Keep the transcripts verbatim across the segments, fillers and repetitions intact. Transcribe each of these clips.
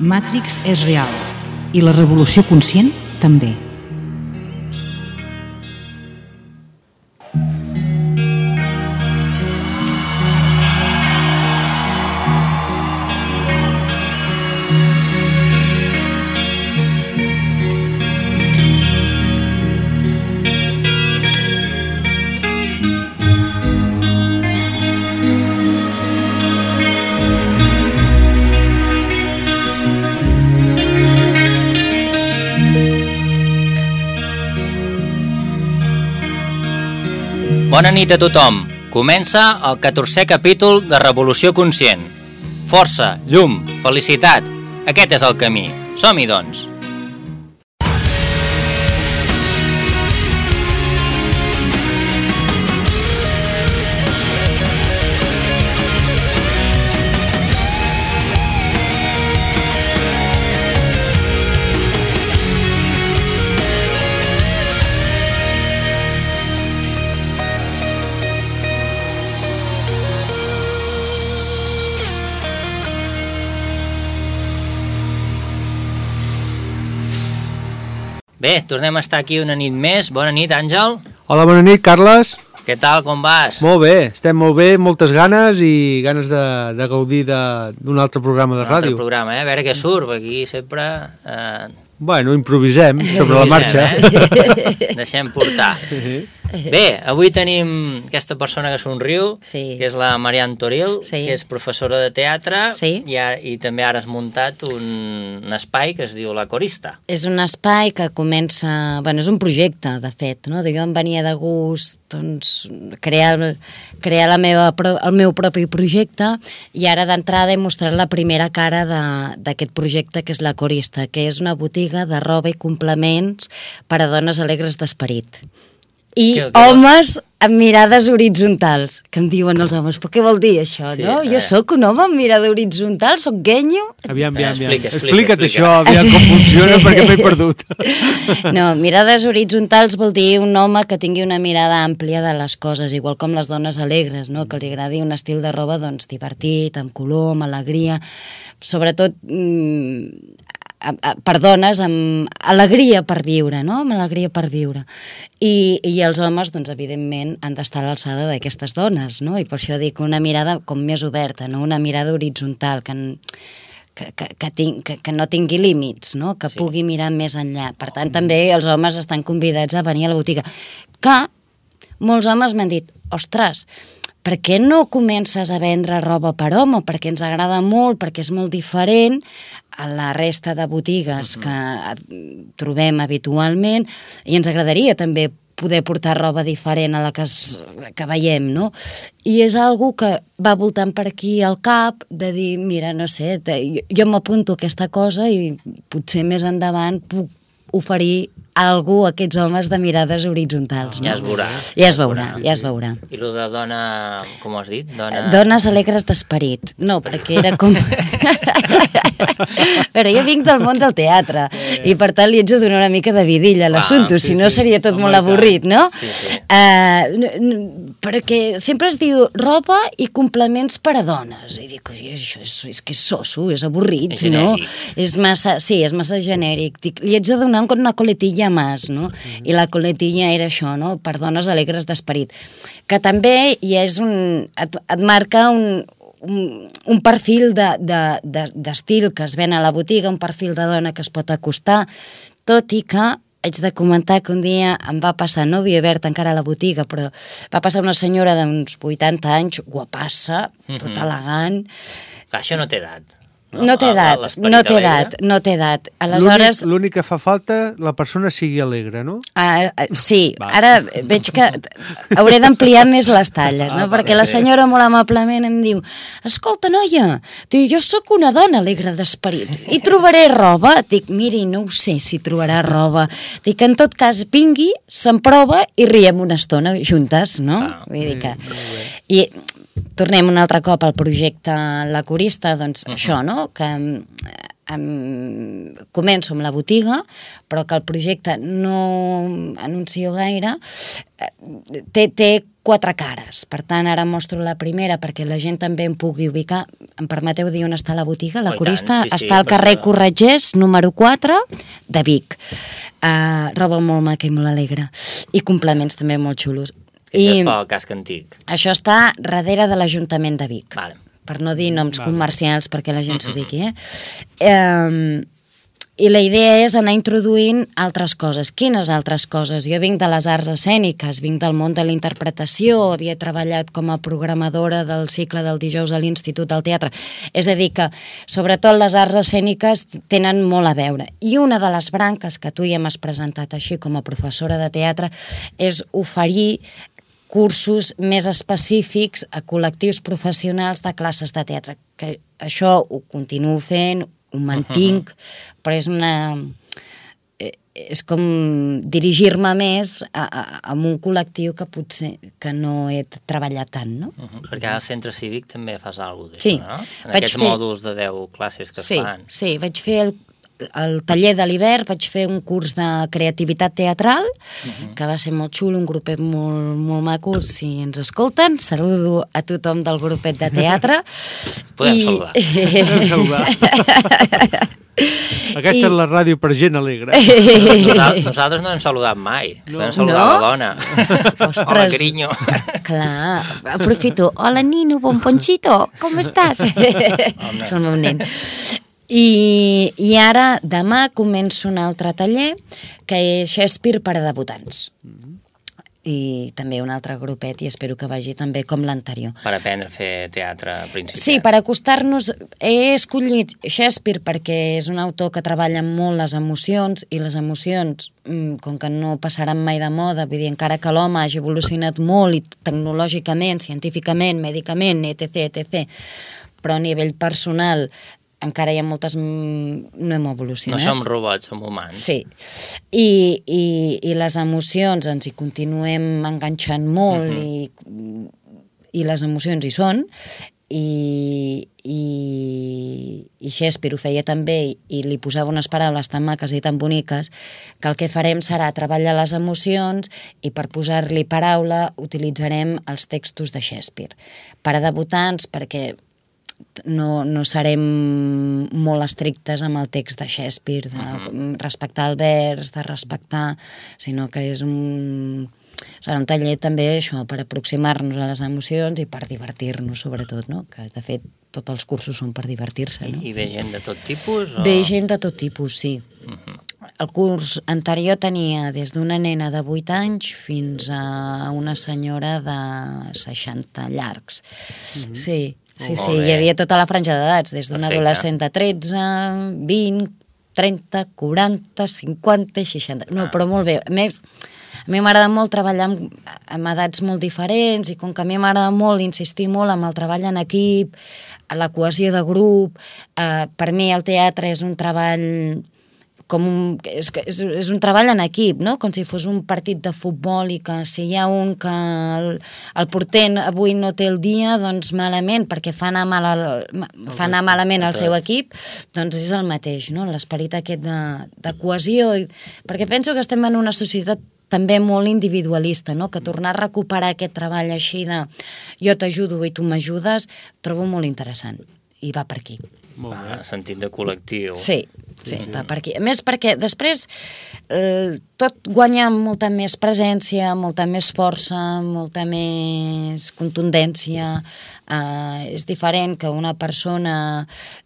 Matrix és real i la revolució conscient també. Bona nit a tothom. Comença el catorzè capítol de Revolució Conscient. Força, llum, felicitat. Aquest és el camí. Som-hi, doncs. Bé, tornem a estar aquí una nit més. Bona nit, Àngel. Hola, bona nit, Carles. Què tal, com vas? Molt bé, estem molt bé, moltes ganes i ganes de, de gaudir d'un altre programa de un ràdio. Un altre programa, eh? A veure què surt, perquè aquí sempre... Eh... Bueno, improvisem sobre improvisem, la marxa. Eh? Deixem portar. Bé, avui tenim aquesta persona que somriu, sí. que és la Marian Toril, sí. que és professora de teatre, sí. i, a, i també ara has muntat un, un espai que es diu La Corista. És un espai que comença... Bueno, és un projecte, de fet, no? Jo em venia de gust doncs, crear, crear la meva, el meu propi projecte i ara d'entrada he mostrat la primera cara d'aquest projecte, que és La Corista, que és una botiga de roba i complements per a dones alegres d'esperit. I que, que homes amb mirades horitzontals, que em diuen els homes, però què vol dir això, sí, no? Jo sóc un home amb mirada horitzontal, sóc genyo. Aviam, aviam, aviam. Explica, explica, Explica't explica. això, aviam com funciona, perquè m'he perdut. No, mirades horitzontals vol dir un home que tingui una mirada àmplia de les coses, igual com les dones alegres, no? Que els agradi un estil de roba doncs, divertit, amb color, amb alegria, sobretot... Mmm, per dones amb alegria per viure, no? Amb alegria per viure. I, i els homes, doncs, evidentment, han d'estar a l'alçada d'aquestes dones, no? I per això dic una mirada com més oberta, no? Una mirada horitzontal, que, que, que, que, ting, que, que no tingui límits, no? Que sí. Pugui mirar més enllà. Per tant, també els homes estan convidats a venir a la botiga. Que molts homes m'han dit, ostres, per què no comences a vendre roba per home? Perquè ens agrada molt, perquè és molt diferent a la resta de botigues uh-huh. que trobem habitualment i ens agradaria també poder portar roba diferent a la que, es, que veiem, no? I és algo que va voltant per aquí al cap de dir, mira, no sé, te, jo, jo m'apunto a aquesta cosa i potser més endavant puc oferir a algú a aquests homes de mirades horitzontals. No? Ja es veurà. Ja es veurà, ja es veurà. I el de dona, com has dit? Dona... Dones alegres d'esperit. No, perquè era com... Però jo vinc del món del teatre eh. i per tant li haig de donar una mica de vidilla a l'assumpte, ah, sí, si no seria tot oh, molt avorrit, no? Sí, sí. Uh, perquè sempre es diu roba i complements per a dones. I dic, això és, és que és soso, és avorrit, és no? És massa, sí, és massa genèric. Dic, li haig de donar una coletilla més, no? Mm-hmm. I la coletilla era això, no? Per dones alegres d'esperit. Que també hi és un... et, et marca un... Un, un perfil d'estil de, de, que es ven a la botiga, un perfil de dona que es pot acostar, tot i que haig de comentar que un dia em va passar, no havia obert encara la botiga, però va passar una senyora d'uns vuitanta anys, guapassa, tot mm-hmm. elegant. Això no té edat. No, no té edat, no té edat, no té edat. Aleshores... L'únic que fa falta, la persona sigui alegre, no? Ah, sí, va. Ara veig que hauré d'ampliar més les talles, no? Ah, perquè la senyora molt amablement em diu, escolta, noia, diu, jo sóc una dona alegre d'esperit i trobaré roba. Dic, miri, no ho sé si trobarà roba. Dic, en tot cas, vingui, se'n prova i riem una estona juntes, no? Ah, Vull dir que... I tornem un altre cop al projecte La Corista, doncs uh-huh. això, no? Que em, començo amb la botiga, però que el projecte no anuncio gaire, té, té quatre cares. Per tant, ara mostro la primera perquè la gent també em pugui ubicar. Em permeteu dir on està la botiga? La Oh, Corista tant, sí, sí, està al carrer perquè- Corretgers, número quatre, de Vic. Uh, roba molt maca i molt alegre. I complements també molt xulos. Això I és pel casc antic. això està darrere de l'Ajuntament de Vic. Vale. Per no dir noms Vale. comercials perquè la gent s'ubiqui, eh? eh? I la idea és anar introduint altres coses. Quines altres coses? Jo vinc de les arts escèniques, vinc del món de la interpretació, havia treballat com a programadora del cicle del dijous a l'Institut del Teatre. És a dir que, sobretot, les arts escèniques tenen molt a veure. I una de les branques que tu ja m'has presentat així com a professora de teatre és oferir cursos més específics a col·lectius professionals de classes de teatre. Que això ho continuo fent, ho mantinc, uh -huh. però és una... és com dirigir-me més a, a, a un col·lectiu que potser que no he treballat tant, no? Uh -huh. Perquè al centre cívic també fas alguna cosa Sí. d'això, no? En Vaig aquests fer- mòduls de deu classes que Sí, es fan. sí, vaig fer el al taller de l'hivern vaig fer un curs de creativitat teatral, uh-huh. que va ser molt xulo, un grupet molt, molt maco. Si ens escolten, saludo a tothom del grupet de teatre. Podem I... saludar. Podem saludar. Aquesta I- és la ràdio per gent alegre. Nosaltres, nosaltres no hem saludat mai. No. Podem saludar No? la dona. Ostres. Hola, carinyo. Clar, aprofito. Hola, Nino, bomponchito, com estàs? És el meu nen. I, I ara, demà, començo un altre taller, que és Shakespeare per a debutants. I també un altre grupet, i espero que vagi també com l'anterior. Per aprendre a fer teatre principiant. Sí, per acostar-nos... He escollit Shakespeare perquè és un autor que treballa molt les emocions, i les emocions, com que no passaran mai de moda, vull dir, encara que l'home hagi evolucionat molt i tecnològicament, científicament, mèdicament, etc, etcètera, però a nivell personal encara hi ha moltes... no hem evolucionat. No som robots, som humans. Sí, i, i, i les emocions ens hi continuem enganxant molt, uh-huh. i, i les emocions hi són, i, i, i Shakespeare ho feia també, i li posava unes paraules tan maques i tan boniques, que el que farem serà treballar les emocions, i per posar-li paraula utilitzarem els textos de Shakespeare. Per a debutants, perquè no, no serem molt estrictes amb el text de Shakespeare, de uh-huh. respectar el vers, de respectar, sinó que és un... serà un taller també això, per aproximar-nos a les emocions i per divertir-nos, sobretot, no? Que de fet tots els cursos són per divertir-se, no? I, I ve gent de tot tipus? O... Ve gent de tot tipus, sí. Uh-huh. El curs anterior tenia des d'una nena de vuit anys fins a una senyora de seixanta llargs. Uh-huh. Sí. Sí, sí, hi havia tota la franja d'edats, des d'un adolescent de tretze, vint, trenta, quaranta, cinquanta i seixanta... No, però molt bé. A més, a mi m'agrada molt treballar amb, amb edats molt diferents, i com que a mi m'agrada molt insistir molt amb el treball en equip, la cohesió de grup, eh, per mi el teatre és un treball... com un, és, és, és un treball en equip, no? Com si fos un partit de futbol, i que si hi ha un que el, el porter avui no té el dia, doncs malament, perquè fa anar, mal el, fa anar malament el seu equip, doncs és el mateix, no? L'esperit aquest de, de cohesió, i, perquè penso que estem en una societat també molt individualista, no? Que tornar a recuperar aquest treball així de jo t'ajudo i tu m'ajudes, trobo molt interessant, i va per aquí. Molt bé. Ah, sentit de col·lectiu. Sí, sí, sí, va per aquí. A més, perquè després eh, tot guanya molta més presència, molta més força, molta més contundència. Eh, és diferent que una persona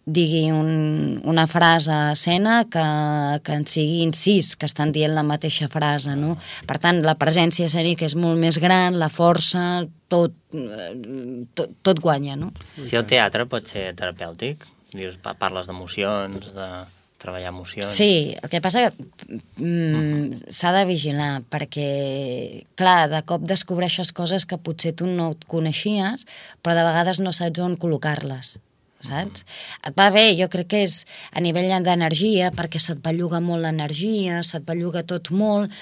digui un, una frase a escena que, que en siguin sis que estan dient la mateixa frase, no? Per tant, la presència escènica és molt més gran, la força, tot, tot, tot guanya, no? Si el teatre pot ser terapèutic, dius, parles d'emocions, de treballar emocions... Sí, el que passa que mm, s'ha de vigilar, perquè, clar, de cop descobreixes coses que potser tu no et coneixies, però de vegades no saps on col·locar-les, saps? Et va bé, jo crec que és a nivell d'energia, perquè se't belluga molt l'energia, se't belluga tot molt,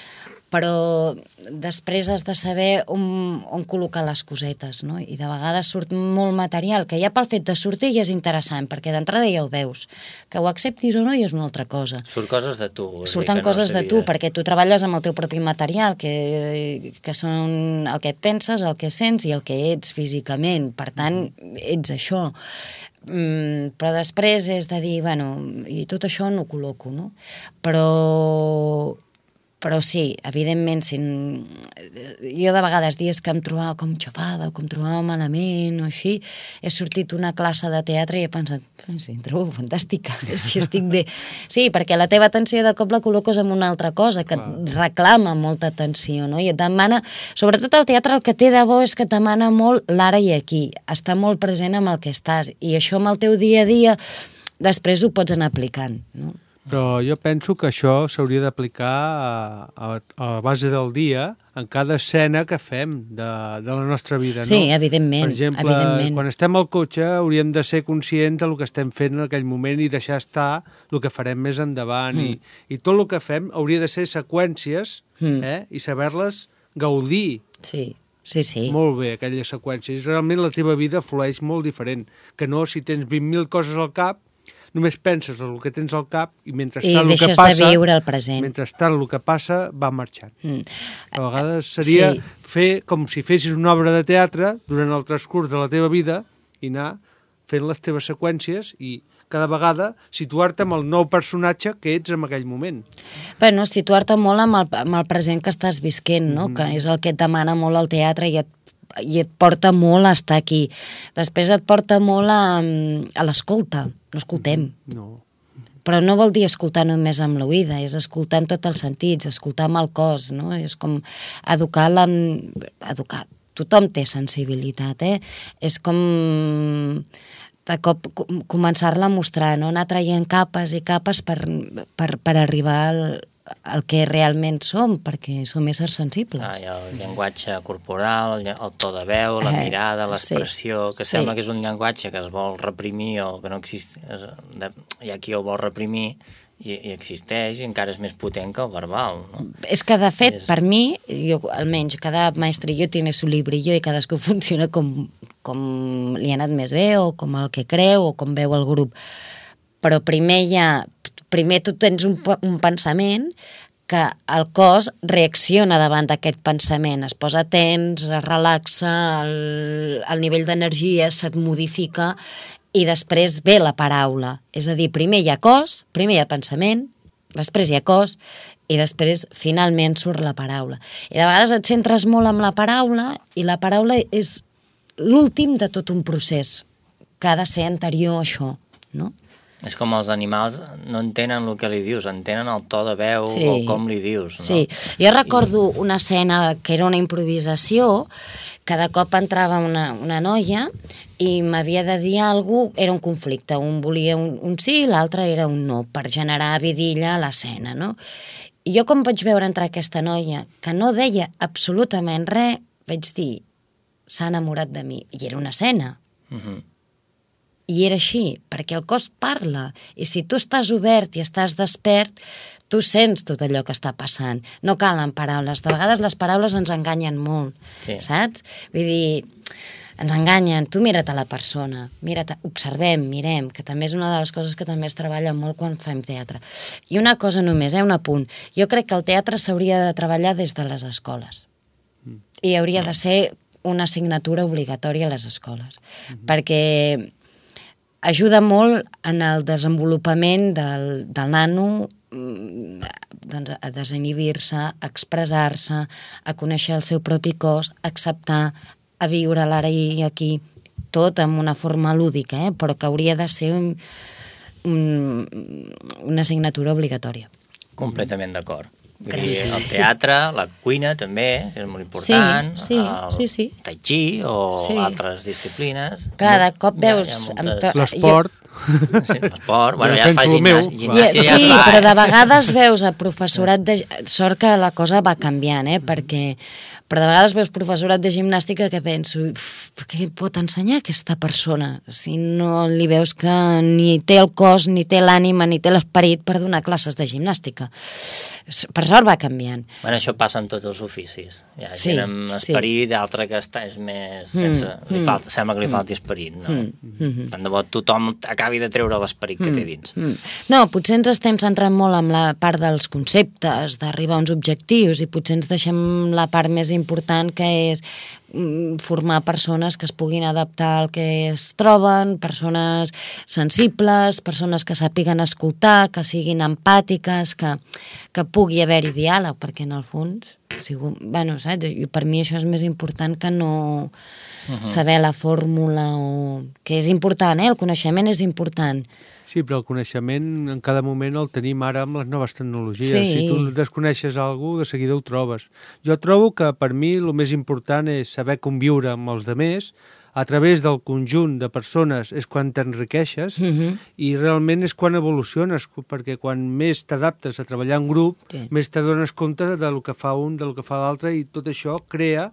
però després has de saber on, on col·locar les cosetes, no? I de vegades surt molt material, que ja pel fet de sortir ja és interessant, perquè d'entrada ja ho veus. Que ho acceptis o no ja és una altra cosa. Surt coses de tu. Surten coses de tu, perquè tu treballes amb el teu propi material, que, que són el que penses, el que sents i el que ets físicament. Per tant, ets això. Mm, però després és de dir, bueno, i tot això no ho col·loco, no? Però... Però sí, evidentment, si... jo de vegades dies que em trobava com xafada o com trobava malament o així, he sortit una classe de teatre i he pensat, sí, em trobo fantàstica, estic bé. Sí, perquè la teva atenció de cop la col·loques en una altra cosa, que et reclama molta atenció, no? I et demana, sobretot el teatre el que té de bo és que et demana molt l'ara i aquí, està molt present amb el que estàs, i això amb el teu dia a dia després ho pots anar aplicant, no? Però jo penso que això s'hauria d'aplicar a, a, a la base del dia en cada escena que fem de, de la nostra vida, no? Sí, evidentment. Per exemple, evidentment. Quan estem al cotxe hauríem de ser conscients del que estem fent en aquell moment i deixar estar el que farem més endavant. Mm. I, I tot el que fem hauria de ser seqüències mm. eh? I saber-les gaudir. Sí. Sí, sí. Molt bé, aquelles seqüències. Realment la teva vida flueix molt diferent. Que no, si tens vint mil coses al cap, només penses en el que tens al cap i mentrestant I el que deixes passa, de viure el present. Mentrestant el que passa va marxant. Mm. A vegades seria sí. fer com si fessis una obra de teatre durant el transcurs de la teva vida i anar fent les teves seqüències i cada vegada situar-te amb el nou personatge que ets en aquell moment. Bueno, situar-te molt amb el, amb el present que estàs visquent, no? Mm. Que és el que et demana molt el teatre i et i et porta molt a estar aquí. Després et porta molt a, a l'escolta. No escoltem. No. Però no vol dir escoltar només amb l'oïda, és escoltar amb tots els sentits, escoltar amb el cos, no? És com educar la... educar. Tothom té sensibilitat, eh? És com de cop començar-la a mostrar, no? Anar traient capes i capes per, per, per arribar al el que realment som, perquè som éssers sensibles. Ah, hi ha el llenguatge corporal, el, el to de veu, la eh, mirada, l'expressió, sí, que sí. Sembla que és un llenguatge que es vol reprimir o que no existeix, hi ha qui ho vol reprimir i, i existeix i encara és més potent que el verbal, no? És que, de fet, és... per mi, jo, almenys, cada maestrillo tiene su librillo i cadascú funciona com, com li ha anat més bé o com el que creu o com veu el grup. Però primer hi ha... Primer tu tens un, un pensament que el cos reacciona davant d'aquest pensament, es posa tens, es relaxa, el, el nivell d'energia se't modifica i després ve la paraula. És a dir, primer hi ha cos, primer hi ha pensament, després hi ha cos i després finalment surt la paraula. I de vegades et centres molt amb la paraula i la paraula és l'últim de tot un procés que ha de ser anterior a això, no? És com els animals no entenen el que li dius, entenen el to de veu sí. O com li dius. No? Sí, jo recordo una escena que era una improvisació, que de cop entrava una, una noia i m'havia de dir alguna cosa, era un conflicte, un volia un, un sí i l'altre era un no, per generar vidilla a l'escena, no? I jo com vaig veure entrar aquesta noia, que no deia absolutament res, vaig dir, s'ha enamorat de mi, i era una escena. Mhm. I era així, perquè el cos parla, i si tu estàs obert i estàs despert, tu sents tot allò que està passant. No calen paraules. De vegades les paraules ens enganyen molt, sí. Saps? Vull dir, ens enganyen. Tu mira't a la persona, mira't, observem, mirem, que també és una de les coses que també es treballa molt quan fem teatre. I una cosa només, eh, un apunt. Jo crec que el teatre s'hauria de treballar des de les escoles. Mm. I hauria de ser una assignatura obligatòria a les escoles. Mm-hmm. Perquè ajuda molt en el desenvolupament del, del nano doncs, a desinhibir-se, a expressar-se, a conèixer el seu propi cos, a acceptar, a viure l'ara i aquí, tot amb una forma lúdica, eh? Però que hauria de ser un, un, una assignatura obligatòria. Completament d'acord. Vull dir, el teatre, la cuina també és molt important, sí, sí, el sí, sí. tai chi o sí. Altres disciplines. Clar, de cop veus... L'esport. Sí, esport, bueno, ja es fa gimnàsia. gimnàsia sí, ja es fa, però eh? de vegades veus a professorat de... Sort que la cosa va canviant, eh? Perquè... Però de vegades veus professorat de gimnàstica que penso, què pot ensenyar aquesta persona? Si no li veus que ni té el cos, ni té l'ànima, ni té l'esperit per donar classes de gimnàstica. Per sort va canviant. Bueno, això passa en tots els oficis. Hi ha Sí, gent amb sí. esperit, altra que està és més... Sense, Mm, li mm. falta, sembla que li falti esperit, no? Mm, mm. Tant de bo tothom acabi de treure l'esperit que té dins. Mm. No, potser ens estem centrant molt en la part dels conceptes, d'arribar a uns objectius, i potser ens deixem la part més important, que és mm, formar persones que es puguin adaptar al que es troben, persones sensibles, persones que sàpiguen escoltar, que siguin empàtiques, que, que pugui haver-hi diàleg, perquè en el fons, sigo, bueno, saps? I per mi això és més important que no uh-huh. saber la fórmula, o... que és important, eh? El coneixement és important. Sí, però el coneixement en cada moment el tenim ara amb les noves tecnologies. Sí. Si tu desconeixes alguna cosa, de seguida ho trobes. Jo trobo que per mi el més important és saber conviure amb els demés, a través del conjunt de persones és quan t'enriqueixes Uh-huh. i realment és quan evoluciones, perquè quan més t'adaptes a treballar en grup, Sí. més t'adones compte de lo que fa un, de lo que fa l'altre, i tot això crea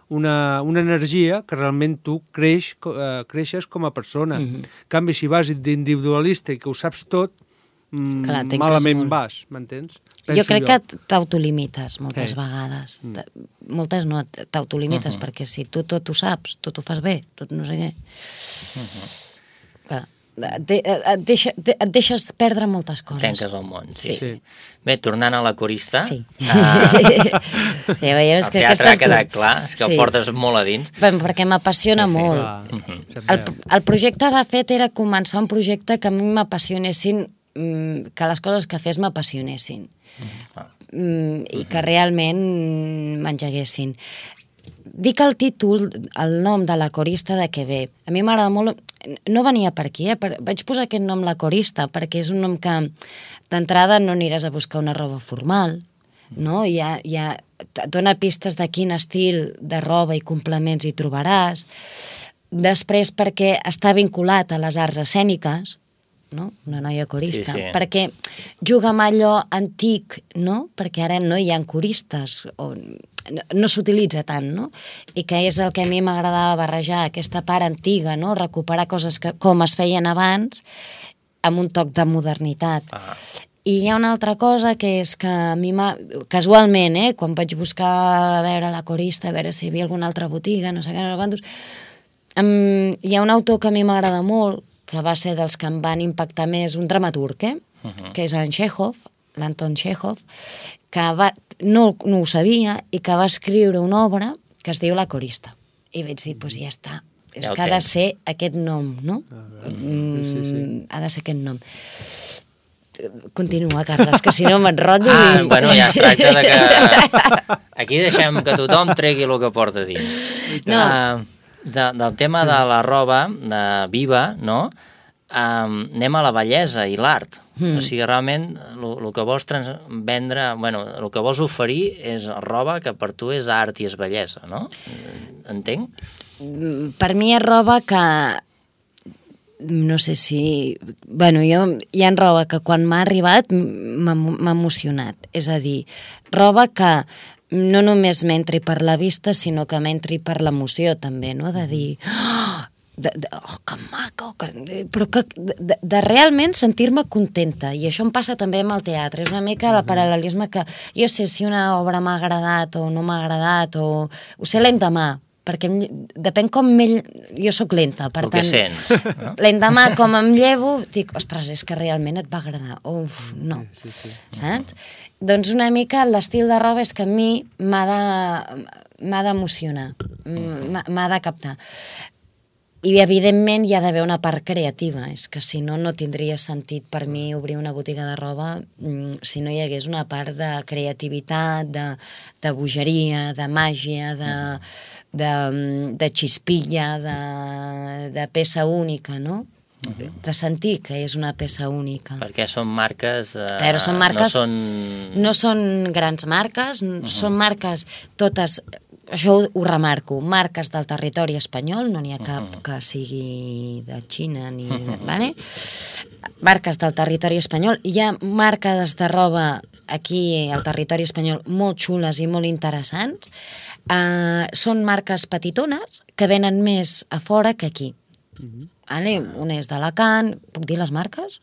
una, una energia que realment tu creix, eh, creixes com a persona. Mhm. En canvi, si vas d'individualista i que ho saps tot, mm, Clar, tanques malament molt. vas, m'entens? Jo crec que t'autolimites moltes Sí. vegades. Mm. Moltes no, t'autolimites, uh-huh. perquè si tu tot ho saps, tot ho fas bé, tot no sé què. Uh-huh. Clar, et, et, deixa, et deixes perdre moltes coses. Tenques el món, sí. Sí. Sí. Bé, tornant a la corista... Sí. Uh, sí, veieu, és el que teatre ha aquestes quedat dues- clar, és que Sí. el portes molt a dins. Bé, perquè m'apassiona Sí, sí. molt. Clar, se't El, veu. el projecte, de fet, era començar un projecte que a mi m'apassionessin, mm, que les coses que fes m'apassionessin. Ah. Mm, i que realment m'engeguessin. Dic el títol, el nom de la corista de què ve. A mi m'agrada molt... No venia per aquí, eh? Per, vaig posar aquest nom, la corista, perquè és un nom que d'entrada no aniràs a buscar una roba formal, no? Hi ha, hi ha, et dona pistes de quin estil de roba i complements hi trobaràs. Després perquè està vinculat a les arts escèniques, no? Una noia corista, Sí, sí. perquè juga amb allò antic, no? Perquè ara no hi ha coristes, o no, no s'utilitza tant, no? I que és el que a mi m'agradava barrejar, aquesta part antiga, no? Recuperar coses que, com es feien abans, amb un toc de modernitat. Ah. I hi ha una altra cosa, que és que a mi m'ha... Casualment, eh? Quan vaig buscar a veure la corista, a veure si hi havia alguna altra botiga, no sé què, no sé quantos... Um, hi ha un autor que a mi m'agrada molt, que va ser dels que em van impactar més, un dramaturg, eh? Uh-huh. Que és en Chekhov, l'Anton Chekhov, que va, no, no ho sabia, i que va escriure una obra que es diu La corista. I vaig dir, doncs pues ja està, és Ja ho que ha de tens. ser aquest nom, no? Ah, Mm, sí, sí. Ha de ser aquest nom. Continua, Carles, que si no m'enrotllo Ah, i... bueno, ja es tracta de que... Aquí deixem que tothom tregui el que porta dins. No. Uh, de, del tema de la roba, de viva, no? Um, anem a la bellesa i l'art. Mm. O sigui, realment, el que vols trans vendre, bueno, el que vols oferir és roba que per tu és art i és bellesa, no? Entenc? Per mi és roba que... No sé si... Bueno, jo, hi ha roba que quan m'ha arribat m'ha m'ha emocionat. És a dir, roba que no només m'entri per la vista, sinó que m'entri per l'emoció, també, no? De dir... Oh, de, de, oh que maco! Que... Però que, de, de realment sentir-me contenta. I això em passa també amb el teatre. És una mica el paral·lelisme que... Jo sé si una obra m'ha agradat o no m'ha agradat, o... Ho sé l'endemà, perquè em, depèn com m'ell... Jo sóc lenta, per El que tant... sents, no? L'endemà, com em llevo, dic, ostres, és que realment et va agradar. Uf, no. Sí, sí. Saps? Doncs una mica l'estil de roba és que a mi m'ha de, m'ha d'emocionar, m'ha m'ha de captar. I, evidentment, hi ha d'haver una part creativa. És que, si no, no tindria sentit per mi obrir una botiga de roba si no hi hagués una part de creativitat, de, de bogeria, de màgia, de, de, de xispilla, de, de peça única, no? De sentir que és una peça única. Perquè són marques... Eh, Però són marques... No són... No són grans marques, uh-huh. Són marques totes això ho, ho remarco, marques del territori espanyol, no n'hi ha cap que sigui de Xina ni de... Vale? Marques del territori espanyol, hi ha marques de roba aquí al territori espanyol molt xules i molt interessants. Uh, són marques petitones que venen més a fora que aquí. Uh-huh. Vale? Una és d'Alacant, puc dir les marques?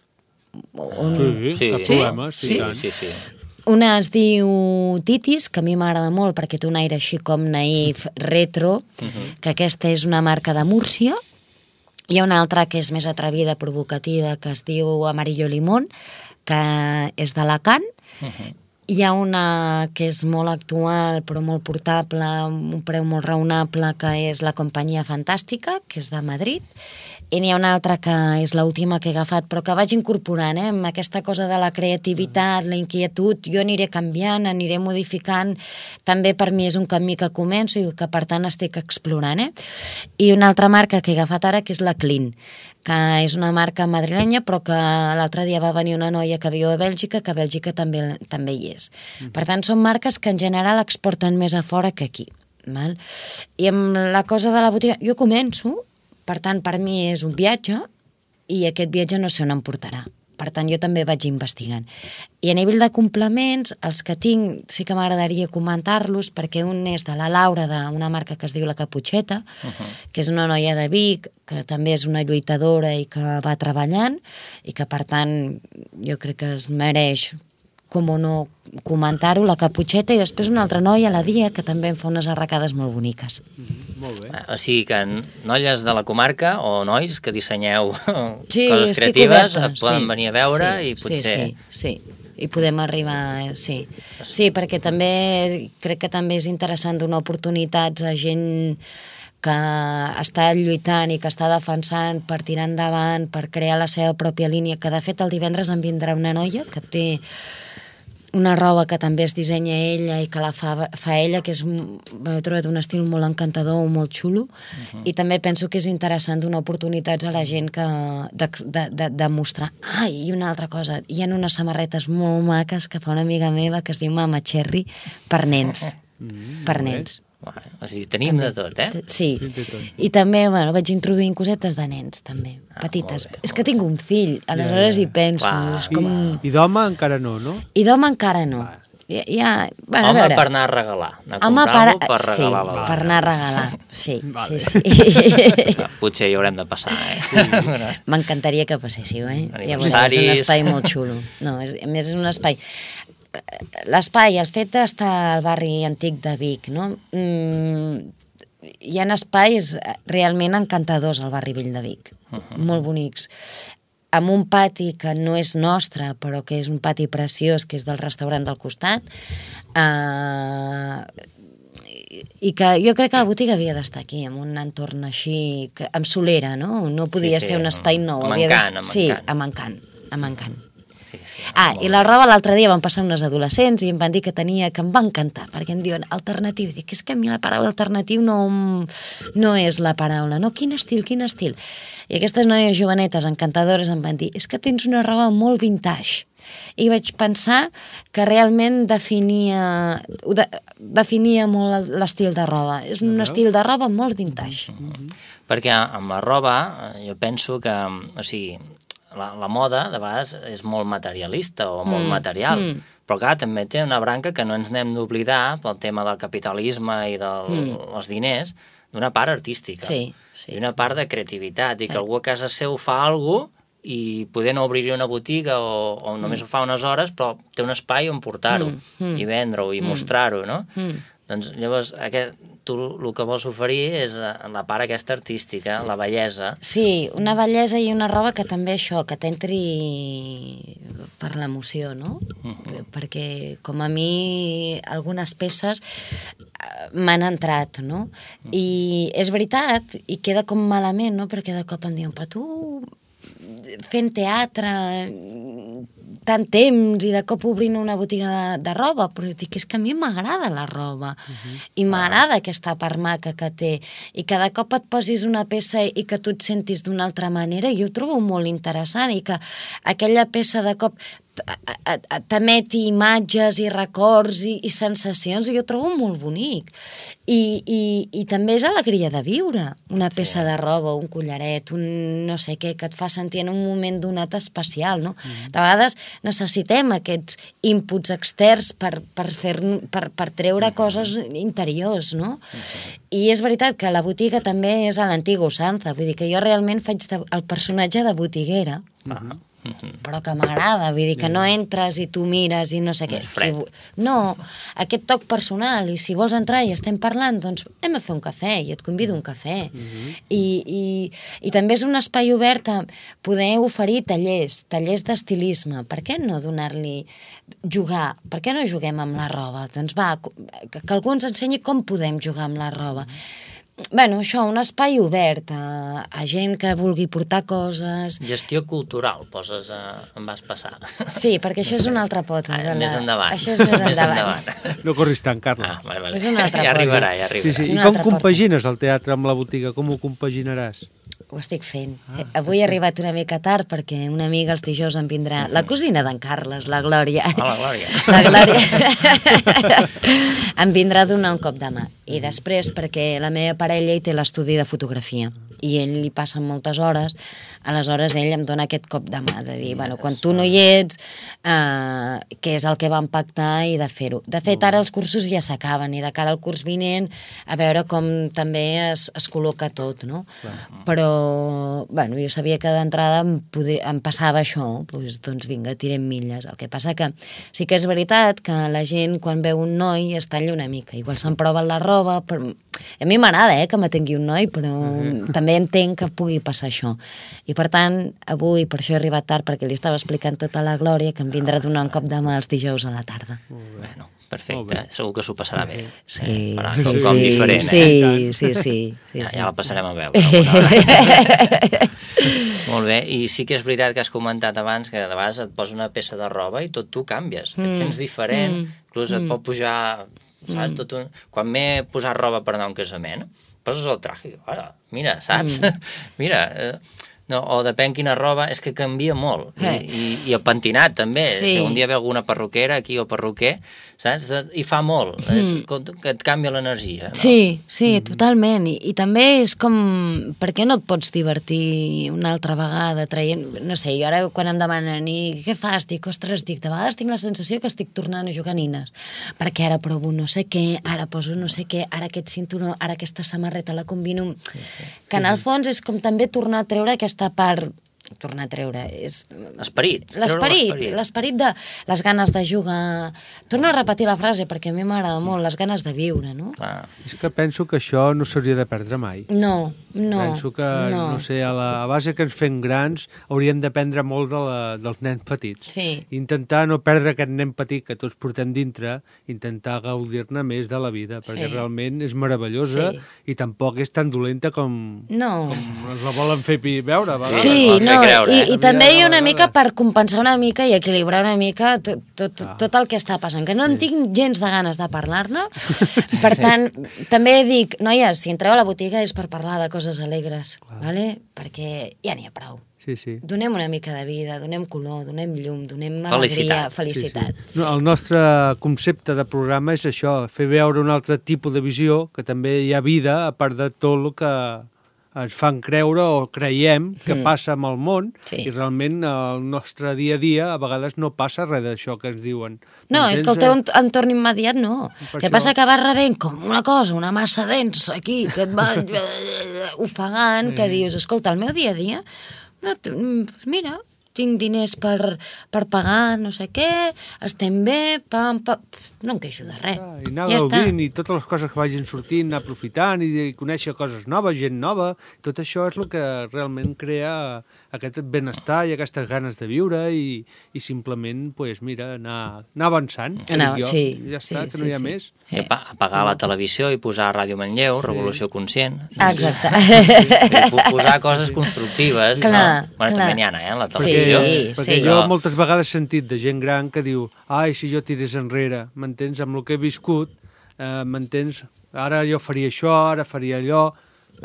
On... Sí, sí, cap problema, sí, sí, tant. Sí, sí. Una es diu Titis, que a mi m'agrada molt perquè té un aire així com naïf, retro, uh-huh. que aquesta és una marca de Múrcia. Hi ha una altra que és més atrevida, provocativa, que es diu Amarillo Limón, que és d'Alacant. Uh-huh. Hi ha una que és molt actual, però molt portable, amb un preu molt raonable, que és la Companyia Fantàstica, que és de Madrid. I n'hi ha una altra que és l'última que he agafat, però que vaig incorporant, eh? Amb aquesta cosa de la creativitat, la inquietud, jo aniré canviant, aniré modificant. També per mi és un camí que començo i que per tant estic explorant, eh? I una altra marca que he agafat ara, que és la Clean, que és una marca madrilenya, però que l'altre dia va venir una noia que viu a Bèlgica, que a Bèlgica també, també hi és. Per tant, són marques que en general exporten més a fora que aquí. Val? I amb la cosa de la botiga, jo començo. Per tant, per mi és un viatge i aquest viatge no sé on em portarà. Per tant, jo també vaig investigant. I a nivell de complements, els que tinc sí que m'agradaria comentar-los, perquè un és de la Laura, d'una marca que es diu La Caputxeta, uh-huh. que és una noia de Vic, que també és una lluitadora i que va treballant, i que, per tant, jo crec que es mereix, com o no, comentar-ho, La Caputxeta, i després una altra noia, la Dia, que també em fa unes arracades molt boniques. Mm-hmm. Molt bé. O sigui que noies de la comarca o nois que dissenyeu sí, coses creatives oberta, poden sí, venir a veure sí, i potser... Sí, sí, sí. I podem arribar, sí. Sí, perquè també crec que també és interessant donar oportunitats a gent que està lluitant i que està defensant per tirar endavant, per crear la seva pròpia línia, que de fet el divendres em vindrà una noia que té una roba que també es dissenya ella i que la fa, fa ella, que és, he trobat un estil molt encantador, molt xulo, uh-huh. i també penso que és interessant donar oportunitats a la gent que, de, de, de, de mostrar. Ah, i una altra cosa, hi ha unes samarretes molt maques que fa una amiga meva que es diu Mama Cherry per nens, uh-huh. per nens. Vale. O sigui, tenim també, de tot, eh? Sí, i també, bueno, vaig introduint cosetes de nens, també, ah, petites. Bé, és que tinc un fill, aleshores hi penso. Clar, és com... I, i d'home encara no, no? I d'home encara no. Ja, ja, bueno, home a veure. Per anar a regalar. Anar a home comprar-lo per, per sí, regalar la per anar a regalar, sí. Vale. sí, sí. Potser hi haurem de passar, eh? Sí. M'encantaria que passéssiu, eh? Ja veureu, és un espai molt xulo. No, és, a més és un espai... L'espai, el fet d'estar al barri antic de Vic, no? Mm, hi ha espais realment encantadors al barri vell de Vic, uh-huh. molt bonics, amb un pati que no és nostre, però que és un pati preciós, que és del restaurant del costat, eh, i que jo crec que la botiga havia d'estar aquí, en un entorn així, que, amb solera, no? No podia sí, sí, ser un espai nou. Amb havia encant, de... amb sí, encant. amb encant, amb encant. Sí, sí, ah, i la roba l'altre dia van passar unes adolescents i em van dir que tenia, que em va encantar, perquè em diuen alternatiu. Dic, és que a mi la paraula alternatiu no, no és la paraula, no? Quin estil, quin estil? I aquestes noies jovenetes encantadores em van dir, és que tens una roba molt vintage. I vaig pensar que realment definia, de, definia molt l'estil de roba. És un estil de roba molt vintage. Mm-hmm. Perquè amb la roba jo penso que, o sigui, La, la moda, de vegades, és molt materialista o molt mm, material, mm. però clar, també té una branca que no ens n'hem d'oblidar pel tema del capitalisme i dels mm. diners, d'una part artística, sí, sí. i una part de creativitat, i que algú a casa seu fa alguna cosa i poder no obrir una botiga o, o només mm. ho fa unes hores, però té un espai on portar-ho mm. Mm. i vendre-ho i mm. mostrar-ho, no? Mm. Doncs llavors, aquest, tu el que vols oferir és la part aquesta artística, la bellesa. Sí, una bellesa i una roba que també això, que t'entri per l'emoció, no? Uh-huh. Perquè com a mi algunes peces m'han entrat, no? Uh-huh. I és veritat, i queda com malament, no? Perquè de cop em diuen, però tu fent teatre tant temps i de cop obrint una botiga de, de roba, però dic, és que a mi m'agrada la roba uh-huh. i m'agrada aquesta part maca que té, i que de cop et posis una peça i que tu et sentis d'una altra manera, jo ho trobo molt interessant, i que aquella peça de cop t'emeti imatges i records i, i sensacions, i jo trobo molt bonic. I, i, i també és alegria de viure, una peça sí. de roba, un collaret, un no sé què, que et fa sentir en un moment donat especial, no? Mm. De vegades necessitem aquests inputs externs per, per, fer, per, per treure mm. coses interiors, no? Mm. I és veritat que la botiga també és a l'antiga usança, vull dir que jo realment faig de, el personatge de botiguera, mm-hmm. però que m'agrada, vull dir que no entres i tu mires i no sé què. No, aquest toc personal, i si vols entrar i estem parlant, doncs hem de fer un cafè i et convido a un cafè. Mm-hmm. I, i, i també és un espai obert a poder oferir tallers, tallers d'estilisme. Per què no donar-li jugar? Per què no juguem amb la roba? Doncs va, que, que algú ens ensenyi com podem jugar amb la roba. Bueno, això, un espai obert a, a gent que vulgui portar coses... Gestió cultural, poses a, em vas passar. Sí, perquè això és una altra pota. Ah, més endavant. Això és més endavant. No corris tant, Carla. Ah, vale, vale. És una altra ja pota. arribarà, ja arribarà. Sí, sí. I com compagines el teatre amb la botiga? Com ho compaginaràs? Ho estic fent. Ah. Avui he arribat una mica tard perquè una amiga els dijous em vindrà, la cosina d'en Carles, la Glòria. Ah, la Glòria. La Glòria. Em vindrà a donar un cop de mà. I després perquè la meva parella hi té l'estudi de fotografia i ell li passen moltes hores, aleshores ell em dona aquest cop de mà, de dir, bueno, quan tu no hi ets, eh, què és el que vam pactar i de fer-ho. De fet, ara els cursos ja s'acaben i de cara al curs vinent a veure com també es, es col·loca tot, no? Clar. Però, bueno, jo sabia que d'entrada em, podria, em passava això, doncs, doncs vinga, tirem milles. El que passa que sí que és veritat que la gent quan veu un noi es talla una mica, igual se'n prova la roba, però a mi m'agrada eh, que m'atengui un noi, però uh-huh. també entenc que pugui passar això. I per tant, avui, per això he arribat tard, perquè li estava explicant tota la Glòria, que em vindrà a donar un cop de mà els dijous a la tarda. Bueno, perfecte, segur que s'ho passarà bé. Sí, eh? Però sí, un sí, cop diferent, sí, eh? sí, sí, sí, sí, ja, sí. ja la passarem a veure. Molt bé, i sí que és veritat que has comentat abans que de vegades et posa una peça de roba i tot tu canvies, mm. et sents diferent, mm. inclús et mm. pot pujar... Saps? Mm. Tot un... Quan m'he posat roba per anar a un casament, poses el traje, ara, mira, saps? Mm. Mira, eh, no, o depèn quina roba, és que canvia molt. Eh. I, i, I el pentinat, també. Sí. Si un dia ve alguna perruquera aquí o perruquer, saps? I fa molt, mm. és, que et canvia l'energia. No? Sí, sí, mm. totalment. I, I també és com, per què no et pots divertir una altra vegada traient, no sé, jo ara quan em demanen i què fas? Dic, ostres, dic, de vegades tinc la sensació que estic tornant a jugar a nines, perquè ara provo no sé què, ara poso no sé què, ara aquest cinturó, ara aquesta samarreta la combino, sí, sí. que en el fons és com també tornar a treure aquesta part, tornar a treure, és... L'esperit. L'esperit, l'esperit de les ganes de jugar. Torno a repetir la frase perquè a mi m'agrada molt, les ganes de viure, no? Clar. És que penso que això no s'hauria de perdre mai. No, no. Penso que, no, no sé, a la a base que ens fem grans hauríem d'aprendre molt de la, dels nens petits. Sí. Intentar no perdre aquest nen petit que tots portem dintre, intentar gaudir-ne més de la vida, perquè sí. realment és meravellosa sí. i tampoc és tan dolenta com, no. com ens la volen fer veure. Sí, sí no, creure, eh? i, i també hi ha una mica per compensar una mica i equilibrar una mica tot, tot, ah. tot el que està passant, que no en tinc gens de ganes de parlar-ne. Per tant, sí. també dic, noies, si entreu a la botiga és per parlar de coses alegres, vale? Perquè ja n'hi ha prou. Sí, sí. Donem una mica de vida, donem color, donem llum, donem alegria, felicitat. felicitat. Sí, sí. No, el nostre concepte de programa és això, fer veure un altre tipus de visió, que també hi ha vida, a part de tot el que ens fan creure o creiem que mm. passa amb el món, sí. i realment el nostre dia a dia a vegades no passa res d'això que ens diuen. No, és que el teu entorn immediat no. Per que això... passa que vas rebent com una cosa, una massa densa aquí, que et va ofegant, sí. que dius, escolta, el meu dia a dia, no, mira, tinc diners per, per pagar no sé què, estem bé, pam, pam, no em queixo de res. Ah, I anar ja gaudint, i totes les coses que vagin sortint, anar aprofitant, i, i conèixer coses noves, gent nova, tot això és el que realment crea aquest benestar i aquestes ganes de viure i, i simplement, pues, mira, anar, anar avançant. Anar, jo, sí, ja està, sí, que no hi ha sí, més. I apagar la televisió i posar Ràdio Manlleu, Revolució sí. Conscient. Exacte. Sí, posar coses constructives. Clar, no? Bueno, clar. també n'hi ha, eh, la televisió. Sí, perquè sí. jo moltes vegades he sentit de gent gran que diu, ai, si jo tirés enrere, m'entens, amb el que he viscut, eh, m'entens, ara jo faria això, ara faria allò,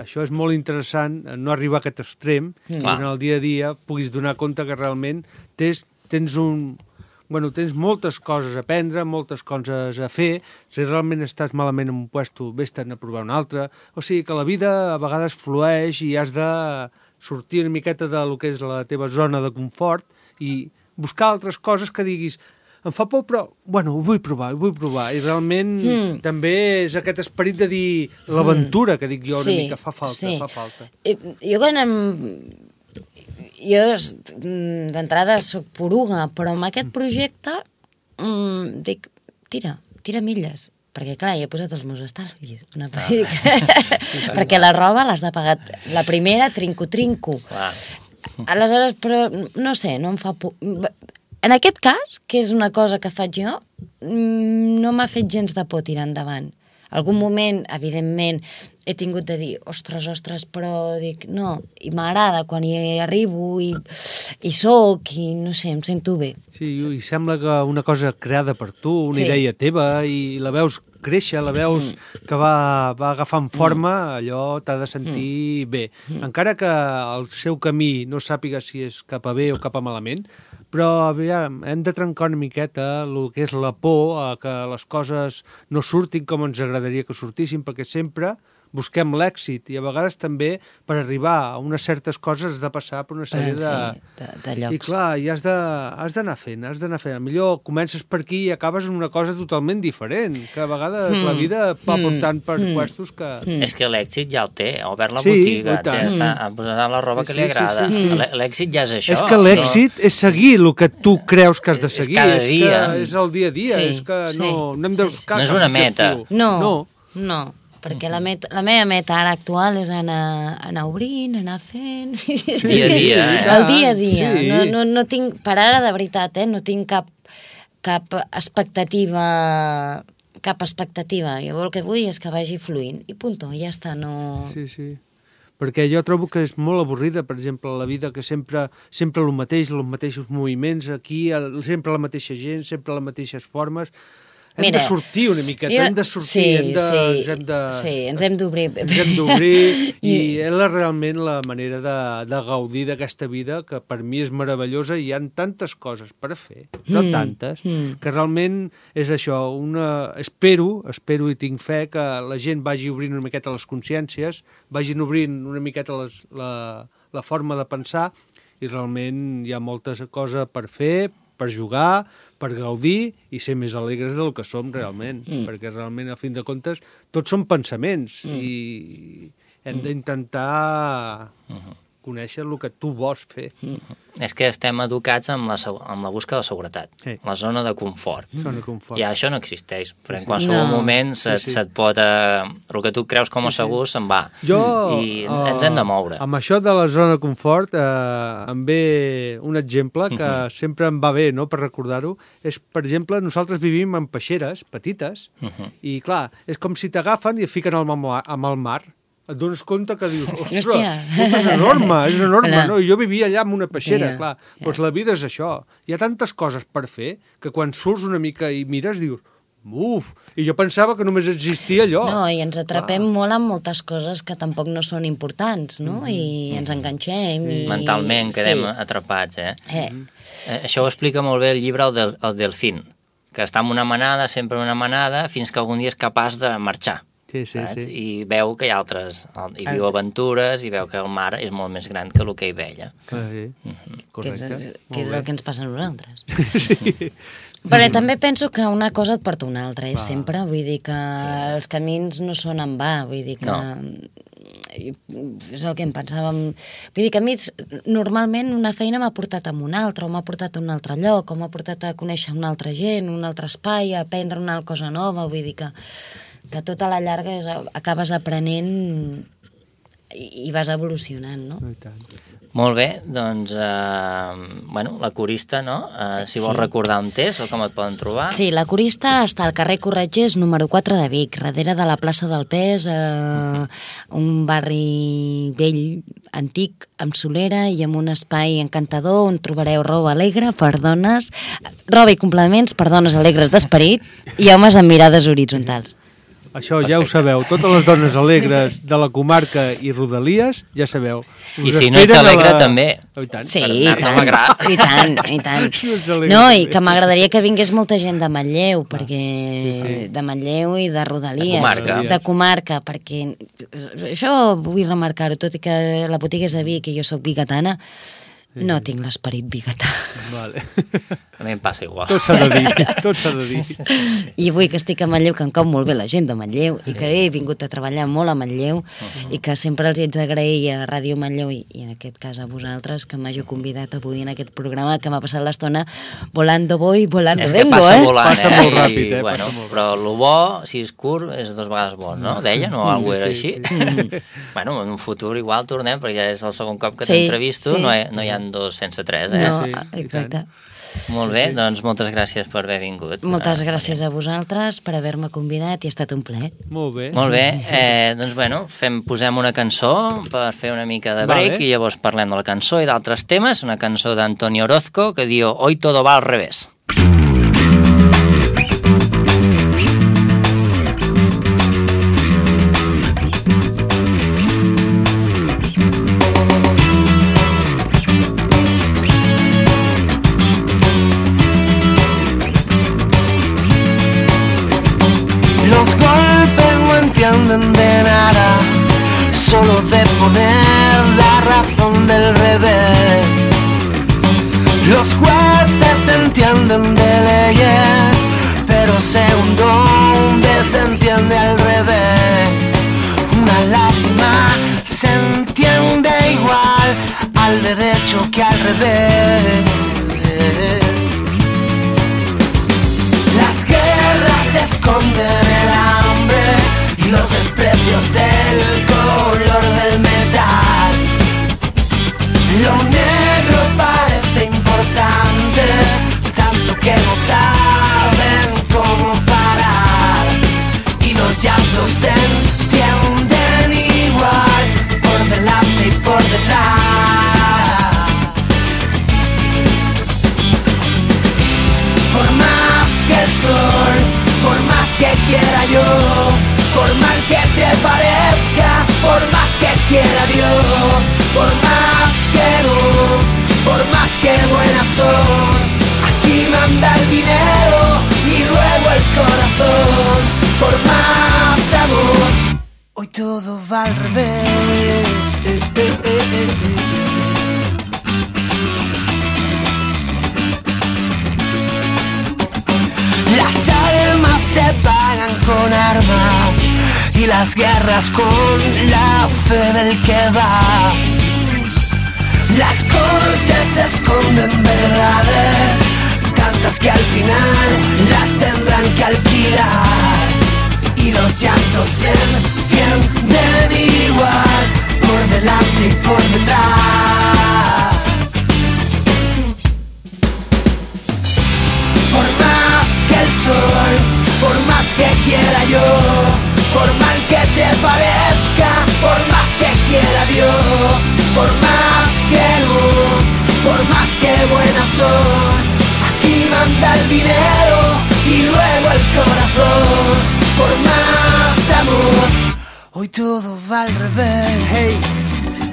això és molt interessant, no arribar a aquest extrem, mm. i en el dia a dia puguis donar compte que realment tens, tens un, bueno, tens moltes coses a aprendre, moltes coses a fer, si realment estàs malament en un puesto, vés-te'n a provar un altre, o sigui que la vida a vegades flueix i has de sortir una miqueta de lo que és la teva zona de confort i buscar altres coses que diguis em fa por, però, bueno, ho vull provar, ho vull provar. I realment mm. també és aquest esperit de dir l'aventura, que dic jo una sí, mica, fa falta, sí. fa falta. Jo quan em... Jo d'entrada soc poruga, però amb aquest projecte mm, dic, tira, tira milles. Perquè, clar, hi he posat els meus estalvis. Una ah. perquè la roba l'has de pagar. La primera, trinco-trinco. Ah. Aleshores, però, no sé, no em fa por... En aquest cas, que és una cosa que faig jo, no m'ha fet gens de por tirar endavant. Algun moment, evidentment, he tingut de dir, ostres, ostres, però dic, no, i m'agrada quan hi arribo i, i soc, i no sé, em sento bé. Sí, i sembla que una cosa creada per tu, una sí. idea teva, i la veus créixer, la veus mm. que va, va agafant forma, mm. allò t'ha de sentir mm. bé. Mm. Encara que el seu camí no sàpiga si és cap a bé o cap a malament, però aviam, hem de trencar una miqueta el que és la por a que les coses no surtin com ens agradaria que sortissin, perquè sempre busquem l'èxit i a vegades també per arribar a unes certes coses has de passar per una sèrie de... Sí, de, de llocs. I clar, i has d'anar fent, has d'anar fent. Millor comences per aquí i acabes en una cosa totalment diferent, que a vegades mm. la vida va portant per mm. puestos que... Mm. És que l'èxit ja el té, ha obert la sí, botiga, té, està posant la roba sí, que li agrada. Sí, sí, sí. L'èxit ja és això. És que l'èxit no? és seguir el que tu creus que has de seguir. És cada dia. És, que és el dia a dia, sí, és que sí, no, no hem de buscar no és una meta. No, no. no. Perquè la, meta, la meva meta ara actual és anar, anar obrint, anar fent... Sí, dia a dia. Eh? El dia a dia. Sí. No, no, no tinc, per ara, de veritat, eh, no tinc cap, cap expectativa... Cap expectativa. Jo el que vull és que vagi fluint. I punto, ja està, no... Sí, sí. Perquè jo trobo que és molt avorrida, per exemple, la vida, que sempre sempre el mateix, els mateixos moviments, aquí, sempre la mateixa gent, sempre les mateixes formes... Hem Mira, de sortir una miqueta, jo, hem de sortir, sí, hem de, sí, ens hem de... Sí, ens hem d'obrir. Ens hem d'obrir i és la, realment la manera de, de gaudir d'aquesta vida, que per mi és meravellosa i hi ha tantes coses per fer, però mm, tantes, mm. que realment és això, una... espero, espero i tinc fe que la gent vagi obrint una miqueta les consciències, vagin obrint una miqueta les, la, la forma de pensar i realment hi ha moltes coses per fer, per jugar, per gaudir i ser més alegres del que som realment, mm. perquè realment, a fin de comptes, tots són pensaments mm. i hem d'intentar mm. conèixer el que tu vols fer. Mm. És que estem educats amb la, amb la busca de seguretat, sí. la zona de confort. Mm. Zona de confort. I això no existeix, però en qualsevol no. moment se't, sí, sí. se't pot... Eh, el que tu creus com a segur sí, sí. se'n va. Jo, I uh, ens hem de moure. Amb això de la zona de confort eh, em ve un exemple que uh-huh. sempre em va bé, no?, per recordar-ho. És, per exemple, nosaltres vivim en peixeres petites uh-huh. i, clar, és com si t'agafen i et fiquen al mar, amb el mar. Et dones compte que dius, ostres, és enorme, és enorme, no? Jo vivia allà amb una peixera, yeah, clar. Yeah. Doncs la vida és això. Hi ha tantes coses per fer que quan surts una mica i mires dius, uf, i jo pensava que només existia allò. No, i ens atrapem clar. molt amb moltes coses que tampoc no són importants, no? Mm-hmm. I ens enganxem. I... Mentalment quedem sí. atrapats, eh? Eh. eh? Això ho explica molt bé el llibre El, del, el Delfín, que està en una manada, sempre en una manada, fins que algun dia és capaç de marxar. Sí, sí, sí. I veu que hi ha altres, hi viu aventures i veu que el mar és molt més gran que el que hi veia. Ah, sí, mm-hmm. correcte. Que és, que és el que ens passa a nosaltres. Sí. Però també penso que una cosa et porta una altra, és sempre, vull dir que sí. els camins no són en va, vull dir que... No. És el que em pensàvem... Vull dir que a mi normalment una feina m'ha portat a una altra, o m'ha portat a un altre lloc, o m'ha portat a conèixer una altra gent, un altre espai, a aprendre una cosa nova, vull dir que... que tota la llarga és, acabes aprenent i, i vas evolucionant, no? I tant. Molt bé, doncs, eh, bueno, la Corista, no? Eh, si vols sí. recordar on és o com et poden trobar. Sí, la Corista està al carrer Corretgers, número quatre de Vic, darrere de la plaça del Pes, eh, un barri vell, antic, amb solera i amb un espai encantador on trobareu roba alegre per dones, roba i complements per dones alegres d'esperit i homes amb mirades horitzontals. Això ja ho sabeu. Totes les dones alegres de la comarca i Rodalies, ja sabeu. I si no ets alegre, la... també. Oh, i tant. Sí, i tant, i tant, i tant. Si no, alegre, no, i que m'agradaria que vingués molta gent de Manlleu, ah, perquè sí, sí. de Manlleu i de Rodalies. De comarca. De comarca, perquè això vull remarcar-ho, tot i que la botiga és a Vic i jo soc bigatana, no tinc l'esperit bigatà. Vale. A mi em passa igual. Tot s'ha de dir, tot s'ha de dir. I avui que estic a Manlleu, que em cau molt bé la gent de Manlleu, sí. i que he vingut a treballar molt a Manlleu, uh-huh. i que sempre els haig d'agrair a Ràdio Manlleu, i, i en aquest cas a vosaltres, que m'hagi convidat avui en aquest programa, que m'ha passat l'estona volando voy, volando és vengo, passa eh? Volant, passa eh? molt ràpid, eh? I, bueno, passa molt però el bo, si és curt, és dues vegades bo, no? Deien, o alguna cosa era així? Sí. Bueno, en un futur igual tornem, perquè ja és el segon cop que sí, t'entrevisto, sí. no, hi, no hi ha dos sense tres, eh? No, Sí, exacte. Molt bé, doncs moltes gràcies per haver vingut. Moltes gràcies a vosaltres per haver-me convidat i ha estat un plaer. Molt bé. Molt bé, eh, doncs bueno, fem, posem una cançó per fer una mica de break, vale. I llavors parlem de la cançó i d'altres temes, una cançó d'Antonio Orozco que diu Hoy todo va al revés. Los golpes no entienden de nada, solo de poner la razón del revés. Los jueces entienden de leyes, pero según dónde se entiende al revés. Una lágrima se entiende igual al derecho que al revés. Las guerras esconden el hambre y los desprecios del color del metal. Lo negro parece importante, tanto que no saben cómo parar. Y los llantos se entienden igual, por delante y por detrás. Por más que el sol, por más que quiera yo, por mal que te parezca, por más que quiera Dios, por más que no, por más que buenas son, aquí manda el dinero y luego el corazón. Por más amor, hoy todo va al revés. Eh, eh, eh, eh, eh. Las almas se pagan con armas y las guerras con la fe del que va. Las cortes esconden verdades, tantas que al final las tendrán que alquilar. Y los llantos se entienden igual, por delante y por detrás. Por más que el sol, por más que quiera yo, por mal que te parezca, por más que quiera Dios, por más que no, por más que buenas son, aquí manda el dinero y luego el corazón. Por más amor, hoy todo va al revés. Hey,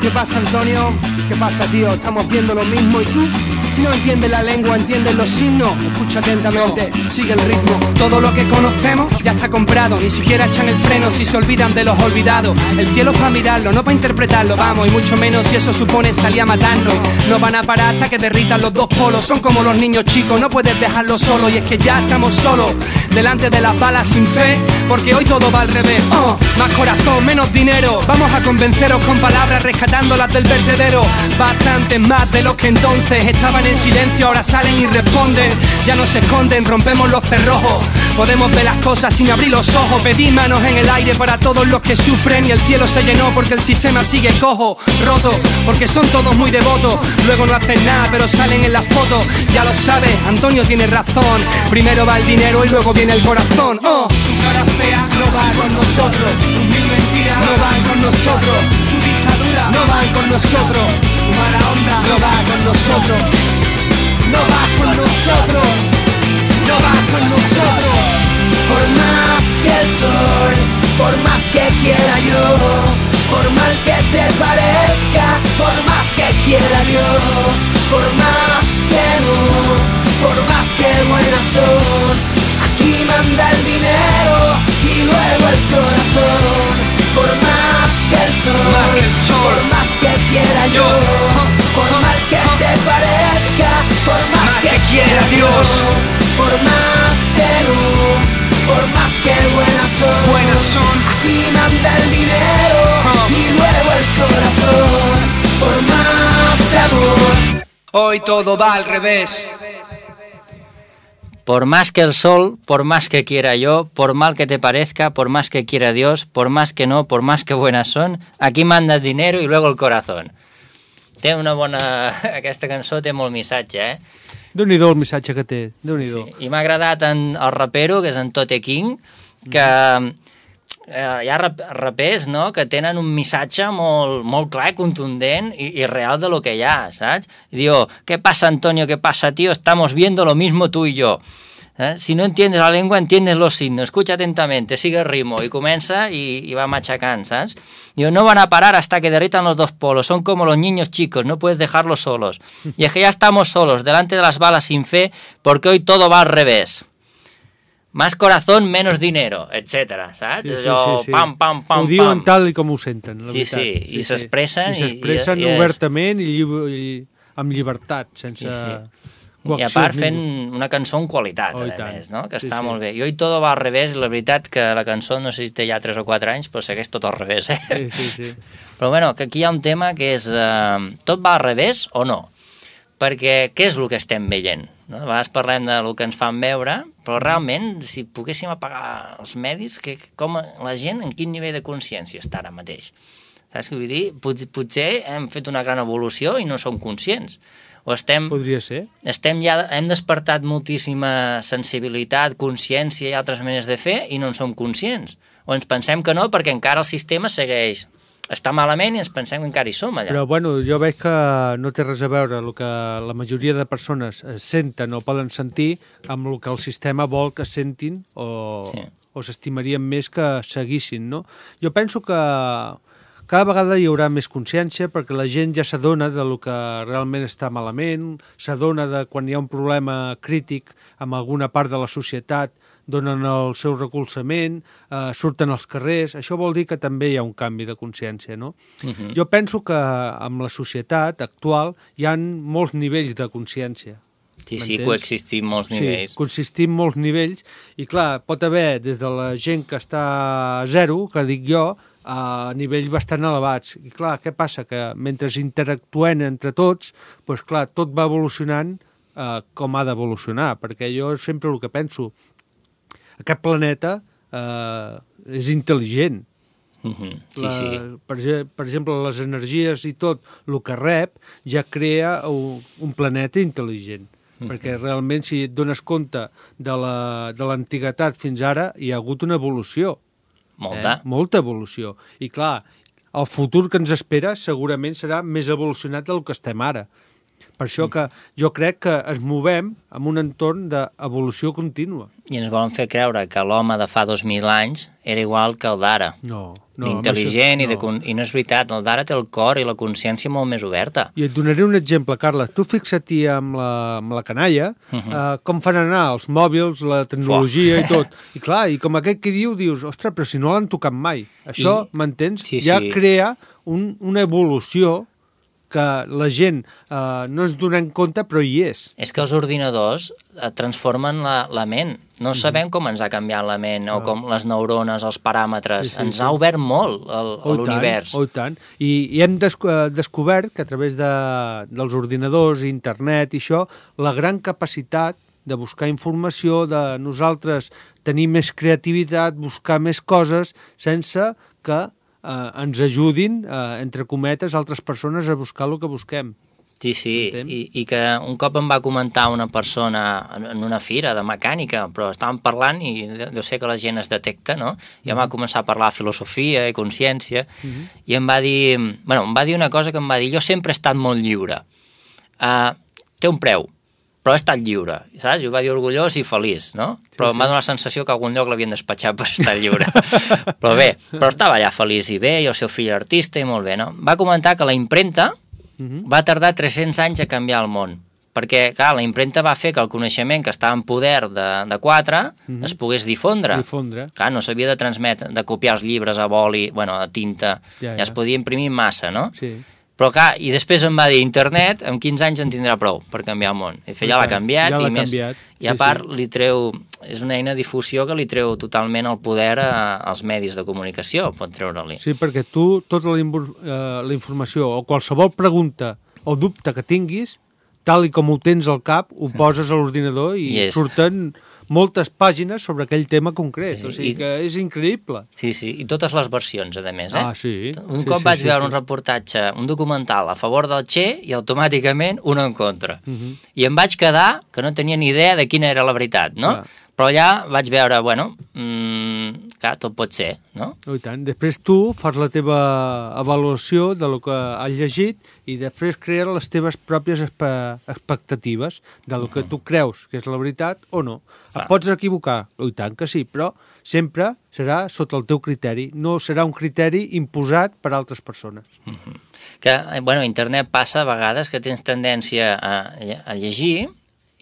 ¿qué pasa, Antonio? ¿Qué pasa, tío? Estamos viendo lo mismo y tú, si no entiendes la lengua, entiendes los signos. Escucha atentamente, sigue el ritmo. Todo lo que conocemos ya está comprado, ni siquiera echan el freno si se olvidan de los olvidados. El cielo es para mirarlo, no para interpretarlo, vamos, y mucho menos si eso supone salir a matarnos. No van a parar hasta que derritan los dos polos, son como los niños chicos, no puedes dejarlos solos. Y es que ya estamos solos, delante de las balas sin fe, porque hoy todo va al revés. Oh, más corazón, menos dinero, vamos a convenceros con palabras rescatándolas del vertedero. Bastantes más de los que entonces estaban en silencio, ahora salen y responden. Ya no se esconden, rompemos los cerrojos, podemos ver las cosas sin abrir los ojos. Pedí manos en el aire para todos los que sufren, y el cielo se llenó porque el sistema sigue cojo, roto, porque son todos muy devotos. Luego no hacen nada pero salen en las fotos. Ya lo sabes, Antonio tiene razón, primero va el dinero y luego viene el corazón. Oh, tu cara fea no va con nosotros, tus mil mentiras no van con nosotros, tu dictadura no van con nosotros, tu mala onda no va con nosotros. No vas con nosotros, no vas con nosotros. Por más que el sol, quiera Dios, por más que no, por más que buenas son, aquí manda el dinero y luego el corazón. Por más que el sol, por más que quiera yo, por mal que te parezca, por más que quiera Dios, por más que no, por más que buenas son, buenas son, aquí manda el dinero y luego el corazón. Por más amor, hoy todo va al revés. Por más que el sol, por más que quiera yo, por mal que te parezca, por más que quiera Dios, por más que no, por más que buenas son, aquí manda el dinero i luego el corazón. Té una bona... Aquesta cançó té molt missatge, eh? Déu-n'hi-do el missatge que té, Déu-n'hi-do. Sí. I m'ha agradat en el rapero, que és en Tote King, que eh, hi ha rapers, no?, que tenen un missatge molt, molt clar, contundent i, i real de lo que hi ha, saps? I diu, ¿qué pasa, Antonio? ¿Qué pasa, tío? Estamos viendo lo mismo tú y yo. ¿Eh? Si no entiendes la lengua, entiendes los signos. Escucha atentamente, sigue el ritmo. I comença i, i va machacant, saps? Diu, no van a parar hasta que derritan los dos polos. Son como los niños chicos, no puedes dejarlos solos. Y es que ya estamos solos, delante de las balas sin fe, porque hoy todo va al revés. Más corazón, menos dinero, etcètera, saps? Sí, sí, Allò, sí, sí. pam, pam, pam, ho diuen pam. tal i com ho senten, la Sí, veritat. sí, i sí, s'expressen I s'expressen i- i- i és- obertament i, llib- i amb llibertat, sense... Sí, sí. I coacció a part ningú. fent una cançó amb qualitat, Oh, i a tant. més, no? Que Sí, està sí. molt bé. I Hoy todo va al revés, la veritat que la cançó, no sé si té ja tres o quatre anys, però segueix tot al revés, eh? Sí, sí, sí. Però bueno, que aquí hi ha un tema que és eh, tot va al revés o no? Perquè què és el que estem veient? No? A vegades parlem de lo que ens fan veure, però realment, si poguéssim apagar els medis, que, com la gent, en quin nivell de consciència està ara mateix? Saps què vull dir? Pot, potser hem fet una gran evolució i no som conscients. O estem, Podria ser. estem ja, hem despertat moltíssima sensibilitat, consciència i altres maneres de fer i no en som conscients. O ens pensem que no perquè encara el sistema segueix... Està malament i ens pensem que encara hi som allà. Però, bueno, jo veig que no té res a veure el que la majoria de persones senten o poden sentir amb el que el sistema vol que sentin o, Sí. o s'estimarien més que seguissin, no? Jo penso que cada vegada hi haurà més consciència perquè la gent ja s'adona de lo que realment està malament, s'adona de quan hi ha un problema crític amb alguna part de la societat, donen el seu recolzament, eh, surten als carrers. Això vol dir que també hi ha un canvi de consciència, no? Uh-huh. Jo penso que amb la societat actual hi ha molts nivells de consciència. Sí, sí, m'entens? coexistim molts nivells. Sí, coexistim molts nivells i, clar, pot haver des de la gent que està a zero, que dic jo, a nivells bastant elevats. I, clar, què passa? Que mentre interactuem entre tots, doncs, clar, tot va evolucionant eh, com ha d'evolucionar, perquè jo sempre el que penso, aquest planeta eh, és intel·ligent. Uh-huh. Sí, La, sí. per, ge- per exemple, les energies i tot el que rep ja crea un, un planeta intel·ligent. Uh-huh. Perquè realment, si et dones compte de la- de l'antiguitat fins ara, hi ha hagut una evolució. Molta. Eh? Molta evolució. I clar, el futur que ens espera segurament serà més evolucionat del que estem ara. Per això que jo crec que ens movem en un entorn d'evolució contínua. I ens volen fer creure que l'home de fa dos mil anys era igual que el d'ara. No, no. D'intel·ligent amb i, de, això- con- i no és veritat, el d'ara té el cor i la consciència molt més oberta. I et donaré un exemple, Carles. Tu fixa't-hi amb la, amb la canalla, uh -huh. eh, com fan anar els mòbils, la tecnologia i tot. I clar, i com aquest que diu, dius, ostres, però si no l'han tocat mai. Això, I- m'entens? sí, ja sí. crea un, una evolució que la gent eh, no ens donem compte, però hi és. És que els ordinadors eh, transformen la, la ment. No sabem com ens ha canviat la ment, o com les neurones, els paràmetres. Sí, sí, ens sí. ha obert molt el- Oh, i tant, l'univers. oh, i tant. I, i hem desco eh, descobert que a través de, dels ordinadors, internet i això, la gran capacitat de buscar informació, de nosaltres tenir més creativitat, buscar més coses, sense que eh, ens ajudin, eh, entre cometes, altres persones a buscar el que busquem. Sí, sí, Entens? I, i que un cop em va comentar una persona en, en una fira de mecànica, però estàvem parlant i jo sé que la gent es detecta, no? I em va començar a parlar de filosofia i consciència, Mhm. i em va dir, bueno, em va dir una cosa que em va dir, jo sempre he estat molt lliure. Uh, té un preu, però he estat lliure, saps? I ho va dir orgullós i feliç, no? Però sí. m'ha donat la sensació que a algun lloc l'havien despatxat per estar lliure. Però bé, però estava allà feliç i bé, i el seu fill artista i molt bé, no? Va comentar que la impremta uh-huh. va tardar tres-cents anys a canviar el món. Perquè, clar, la impremta va fer que el coneixement que estava en poder de, de quatre uh-huh. es pogués difondre. difondre. Clar, no s'havia de transmetre, de copiar els llibres a boli, bueno, a tinta, ja, ja. ja es podia imprimir massa, no? Sí. Però, clar, i després em va dir, internet, en quinze anys en tindrà prou per canviar el món. I fer, ja l'ha canviat, ja i, l'ha més, canviat. i a part sí. li treu, és una eina de difusió que li treu totalment el poder a, als medis de comunicació, pot treure-li. Sí, perquè tu, tota la, uh, la informació o qualsevol pregunta o dubte que tinguis, tal i com ho tens al cap, ho poses a l'ordinador i yes. surten moltes pàgines sobre aquell tema concret. Sí, o sigui I... que és increïble. Sí, sí, i totes les versions, a més. Eh? Ah, sí. Un sí, cop sí, vaig sí, veure sí. un reportatge, un documental a favor del Che i automàticament un en contra. Uh -huh. I em vaig quedar que no tenia ni idea de quina era la veritat, no? Ah. Però allà vaig veure, bueno, mmm, clar, tot pot ser, no? Oh, i tant. Després tu fas la teva avaluació de lo que has llegit i després crees les teves pròpies expectatives de lo que tu creus que és la veritat o no. Et pots equivocar, oh, i tant que sí, però sempre serà sota el teu criteri, no serà un criteri imposat per altres persones. Uh-huh. Que, bueno, a internet passa a vegades que tens tendència a, a llegir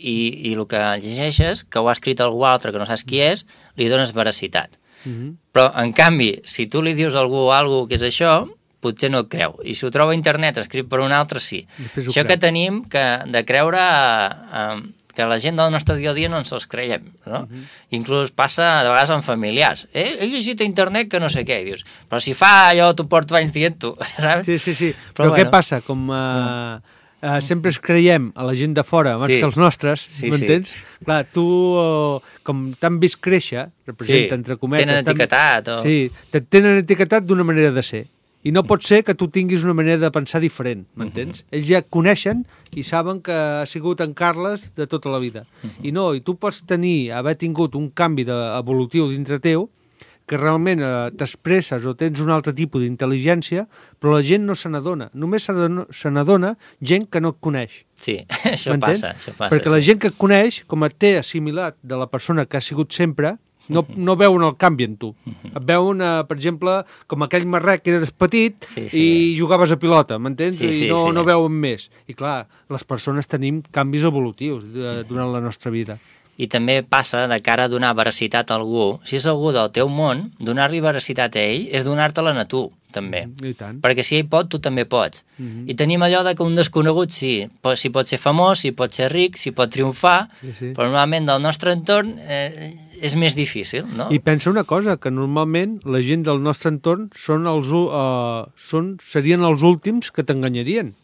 i, i el que llegeixes, que ho ha escrit algú altre que no saps qui és, li dones veracitat. Uh-huh. Però, en canvi, si tu li dius a algú alguna que és això, potser no et creu. I si ho troba a internet escrit per un altre, sí. Això creu. Que tenim que, de creure eh, que la gent del nostre dia a dia no ens els creiem, no? Uh-huh. Inclús passa de vegades amb familiars. Eh, he llegit a internet que no sé què. I dius, però si fa allò, tu porto anys dient-ho, saps? Sí, sí, sí. Però, però bueno. Què passa? Com... Uh... Uh, sempre es creiem a la gent de fora abans sí. que els nostres, sí, m'entens? Sí. Clar, tu, uh, com t'han vist créixer, representa, sí. entre cometes... Tenen etiquetat. O... Sí, tenen etiquetat d'una manera de ser. I no pot ser que tu tinguis una manera de pensar diferent, m'entens? Uh-huh. Ells ja et coneixen i saben que ha sigut en Carles de tota la vida. Uh-huh. I no, i tu pots tenir, haver tingut un canvi de, evolutiu dintre teu, que realment eh, t'expresses o tens un altre tipus d'intel·ligència, però la gent no se n'adona. Només se n'adona gent que no et coneix. Sí, això passa, això passa. Perquè sí. la gent que et coneix, com et té assimilat de la persona que ha sigut sempre, no, no veuen el canvi en tu. Uh-huh. Et veuen, eh, per exemple, com aquell marrec que eres petit sí, sí. i jugaves a pilota, m'entens? Sí, sí, I no, sí. no veuen més. I clar, les persones tenim canvis evolutius eh, durant la nostra vida. I també passa de cara a donar veracitat a algú. Si és algú del teu món, donar-li veracitat a ell és donar-te-la a tu, també. Mm, I tant. Perquè si ell pot, tu també pots. Mm-hmm. I tenim allò de que un desconegut sí, pot, si pot ser famós, si pot ser ric, si pot triomfar, sí, sí. però normalment del nostre entorn eh, és més difícil, no? I pensa una cosa, que normalment la gent del nostre entorn són els, uh, són, serien els últims que t'enganyarien.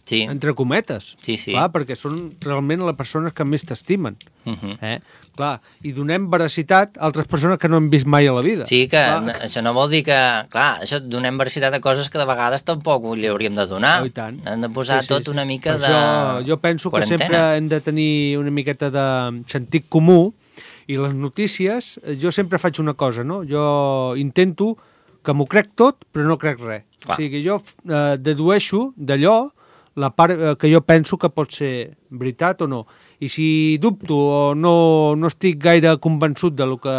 Sí. Entre cometes, sí, sí. Clar, perquè són realment les persones que més t'estimen. Uh-huh. eh? Clar, i donem veracitat a altres persones que no hem vist mai a la vida. Sí, que clar. Això no vol dir que... Clar, això donem veracitat a coses que de vegades tampoc li hauríem de donar. Oh, tant. Hem de posar sí, sí, tot una mica per de això, jo penso quarantena. Que sempre hem de tenir una miqueta de sentit comú i les notícies, jo sempre faig una cosa, no? Jo intento que m'ho crec tot, però no crec res. Clar. O sigui, jo eh, dedueixo d'allò la part que jo penso que pot ser veritat o no. I si dubto o no, no estic gaire convençut de lo que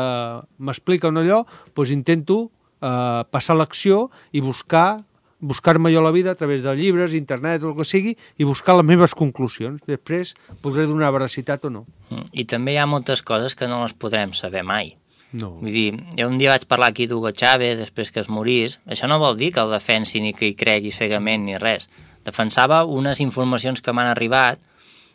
m'expliquen allò, doncs intento eh, passar l'acció i buscar buscar-me jo la vida a través de llibres, internet o el que sigui, i buscar les meves conclusions. Després podré donar veracitat o no. I també hi ha moltes coses que no les podrem saber mai. No. Vull dir, jo un dia vaig parlar aquí d'Hugo Chávez després que es morís. Això no vol dir que el defensi ni que hi cregui cegament ni res. Defensava unes informacions que m'han arribat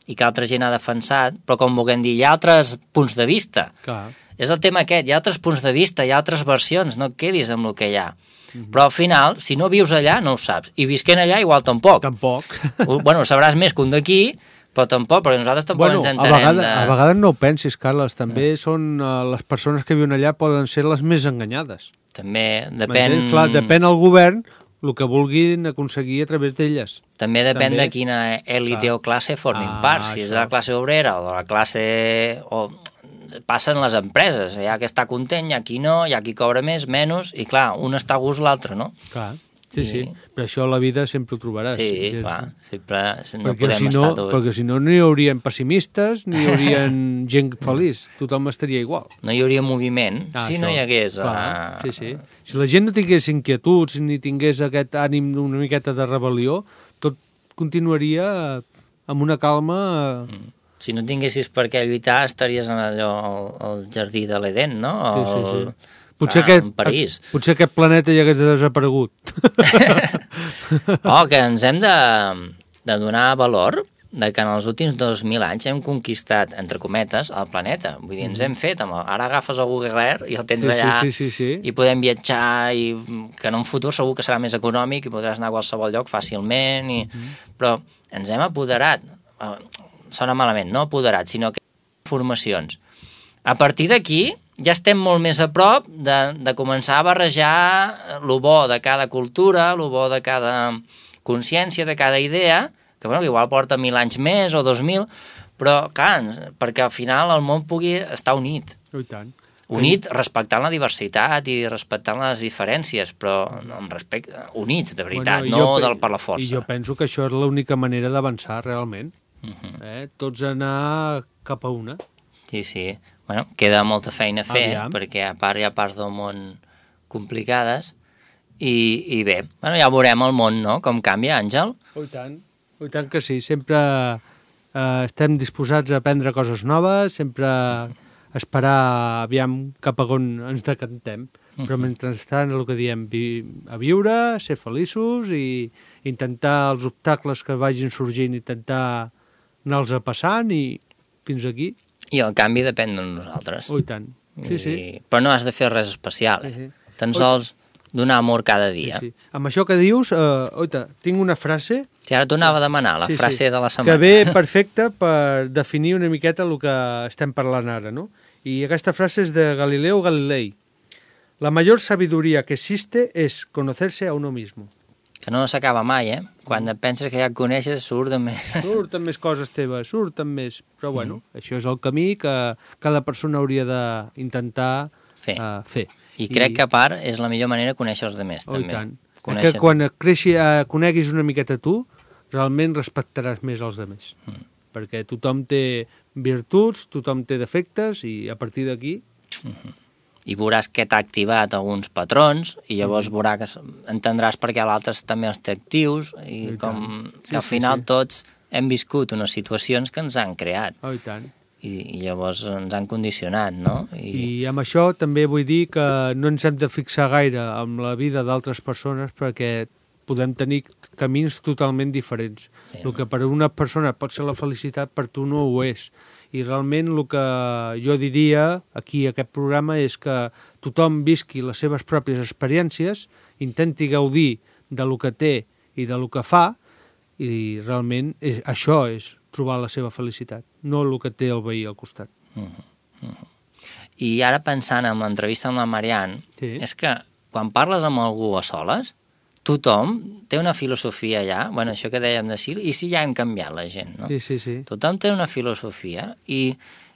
i que altra gent ha defensat, però com vulguem dir, hi ha altres punts de vista. Clar. És el tema aquest, hi ha altres punts de vista, hi ha altres versions, no et quedis amb el que hi ha. Mm-hmm. Però al final, si no vius allà, no ho saps. I visquent allà, igual tampoc. Tampoc. Bueno, sabràs més que un d'aquí, però tampoc, perquè nosaltres tampoc bueno, ens entenem. A vegades, de... a vegades no ho pensis, Carles, també mm. són uh, les persones que viuen allà poden ser les més enganyades. També depèn... Clar, depèn el govern el que vulguin aconseguir a través d'elles. També depèn també... de quina èlite ah. o classe formin ah, part, si això. És de la classe obrera o de la classe... O... Passen les empreses, hi ha qui està content, hi ha qui no, hi ha qui cobra més, menys, i clar, un està a gust, l'altre no. Clar, sí, I... sí, per això a la vida sempre ho trobaràs. Sí, sí clar, sempre no perquè podem si no, estar tots. Perquè si no, no hi haurien pessimistes, ni hi haurien gent feliç, tothom estaria igual. No hi hauria moviment, ah, si això. no hi hagués... Clar, uh... sí, sí. Si la gent no tingués inquietuds, ni tingués aquest ànim d'una miqueta de rebel·lió, tot continuaria amb una calma... Mm. Si no tinguessis per què lluitar, estaries en allò, al, al jardí de l'Eden, no? O sí, sí, sí. El, potser, clar, aquest, París. potser aquest planeta ja hagués desaparegut. Oh, que ens hem de, de donar valor de que en els últims dos mil anys hem conquistat, entre cometes, el planeta. Vull dir, ens hem fet, amb el, ara agafes el Google Earth i el tens sí, allà, sí, sí, sí, sí. i podem viatjar, i que en un futur segur que serà més econòmic i podràs anar a qualsevol lloc fàcilment, i... Mm. Però ens hem apoderat, sona malament, no apoderat, sinó que informacions. A partir d'aquí ja estem molt més a prop de, de començar a barrejar lo bo de cada cultura, lo bo de cada consciència, de cada idea, que, bueno, que igual porta mil anys més o dos mil, però, clar, perquè al final el món pugui estar unit. Oh, i tant. Unit respectant la diversitat i respectant les diferències, però amb respecte, units, de veritat, bueno, no del per la força. I jo penso que això és l'única manera d'avançar, realment. Uh-huh. eh? Tots anar cap a una. Sí, sí. Bueno, queda molta feina a fer, Aviam. perquè a part hi ha parts del món complicades, i, i bé, bueno, ja veurem el món, no?, com canvia, Àngel. Oh, i tant. Oh, i tant que sí. Sempre eh, estem disposats a aprendre coses noves, sempre esperar aviam cap a on ens decantem. Uh-huh. Però mentrestant, el que diem, vi a viure, ser feliços i intentar els obstacles que vagin sorgint, intentar anar-los passant i fins aquí. I el canvi depèn de nosaltres. Oh, i tant. Sí, sí. I... Però no has de fer res especial, eh? Sí, sí. Tan sols donar amor cada dia. Sí, sí. Amb això que dius, eh, oita, tinc una frase... Si ara t'ho anava a demanar, la sí, frase sí, de la setmana. que ve perfecta per definir una miqueta el que estem parlant ara, ¿no? I aquesta frase és de Galileo Galilei. La mayor sabiduría que existe es conocerse a uno mismo. Que no s'acaba mai, eh? Quan et penses que ja et coneixes, surten més... Surten més coses teves, surten més... Però bueno, mm. això és el camí que cada persona hauria d'intentar fer. Uh, fer. I crec I... que a part és la millor manera de conèixer els altres, oh, també. I tant. Conèixer... Que quan creixi, uh, coneguis una miqueta tu, realment respectaràs més els altres. Mm. Perquè tothom té virtuts, tothom té defectes i a partir d'aquí... Mm-hmm. I veuràs que t'ha activat alguns patrons i llavors mm. veuràs que entendràs per què l'altre també els té actius i, I com sí, que al final sí, sí. tots hem viscut unes situacions que ens han creat. Oh, i tant. I, i llavors ens han condicionat, no? I... I amb això també vull dir que no ens hem de fixar gaire amb la vida d'altres persones perquè podem tenir camins totalment diferents. Sí. El que per a una persona pot ser la felicitat, per tu no ho és. I realment el que jo diria aquí a aquest programa és que tothom visqui les seves pròpies experiències, intenti gaudir de lo que té i de lo que fa, i realment és, això és trobar la seva felicitat, no el que té el veí al costat. Uh-huh. Uh-huh. I ara pensant en l'entrevista amb la Marianne, sí. és que quan parles amb algú a soles, tothom té una filosofia ja, bueno, això que dèiem de sí, i sí ja hem canviat la gent, no? Sí, sí, sí. Tothom té una filosofia i,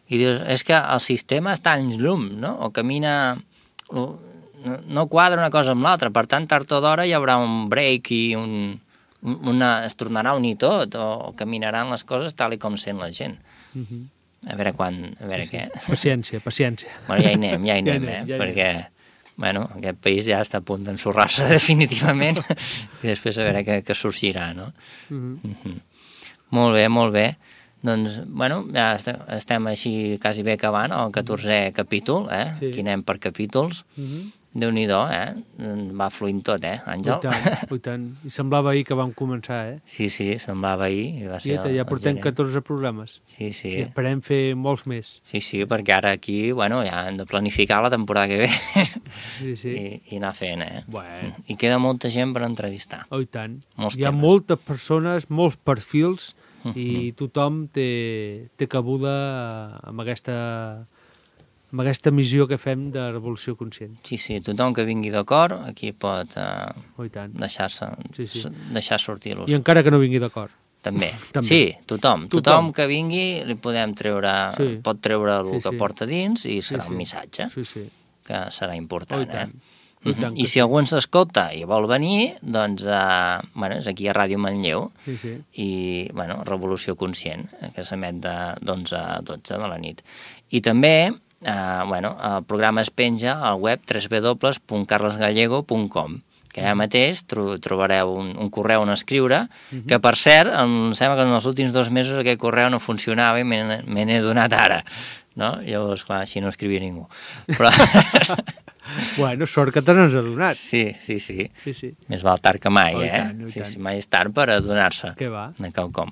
i dius, és que el sistema està en llum, no? O camina... O, no, no quadra una cosa amb l'altra, per tant, tard o d'hora hi haurà un break i un, una, es tornarà a unir tot, o, o caminaran les coses tal i com sent la gent. Uh-huh. A veure quan... A veure sí, sí. què... Paciència, paciència. Bueno, ja hi anem, ja hi anem, ja anem eh? Ja perquè... Bueno, aquest país ja està a punt d'ensorrar-se definitivament i després a veure què, què sorgirà, no? Uh-huh. Uh-huh. Molt bé, molt bé. Doncs, bueno, ja estem així quasi bé acabant el catorzè capítol, eh? Sí. Aquí anem per capítols. Uh-huh. Déu-n'hi-do, eh? Va fluint tot, eh, Àngel? I tant, i tant. I semblava ahir que vam començar, eh? Sí, sí, semblava ahir. I va ser Tieta, ja portem catorze programes. Sí, sí. I esperem fer molts més. Sí, sí, perquè ara aquí, bueno, ja hem de planificar la temporada que ve. Sí, sí. I, i anar fent, eh? Bueno. I queda molta gent per entrevistar. Oh, i tant. Molts Hi ha temes. moltes persones, molts perfils, uh-huh. i tothom té, té cabuda amb aquesta... amb aquesta missió que fem de revolució conscient. Sí, sí, tothom que vingui d'acord aquí pot uh, oh, deixar-se sí, sí. deixar sortir-los. I encara que no vingui d'acord. També. També. Sí, tothom. tothom. Tothom que vingui li podem treure, sí. pot treure el sí, que sí. porta dins i serà sí, sí. un missatge sí, sí. que serà important. Oh, i tant. Eh? Uh -huh. I si algú ens escolta i vol venir, doncs uh, bueno, és aquí a Ràdio Manlleu sí, sí. i bueno, Revolució Conscient, que s'emet d'onze a dotze de la nit. I també Uh, bueno, el programa es penja al web w w w punt carles gallego punt com que allà mateix tro trobareu un, un correu on escriure, uh-huh. que per cert, em sembla que en els últims dos mesos aquest correu no funcionava i me n'he donat ara, no? Llavors, clar, així no escrivia ningú. Però... Bueno, sort que te n'has adonat. Sí, sí, sí, sí, sí. Més val tard que mai, oh, eh? Tant, oh, sí, sí, mai és tard per adonar-se. Què va? De quelcom.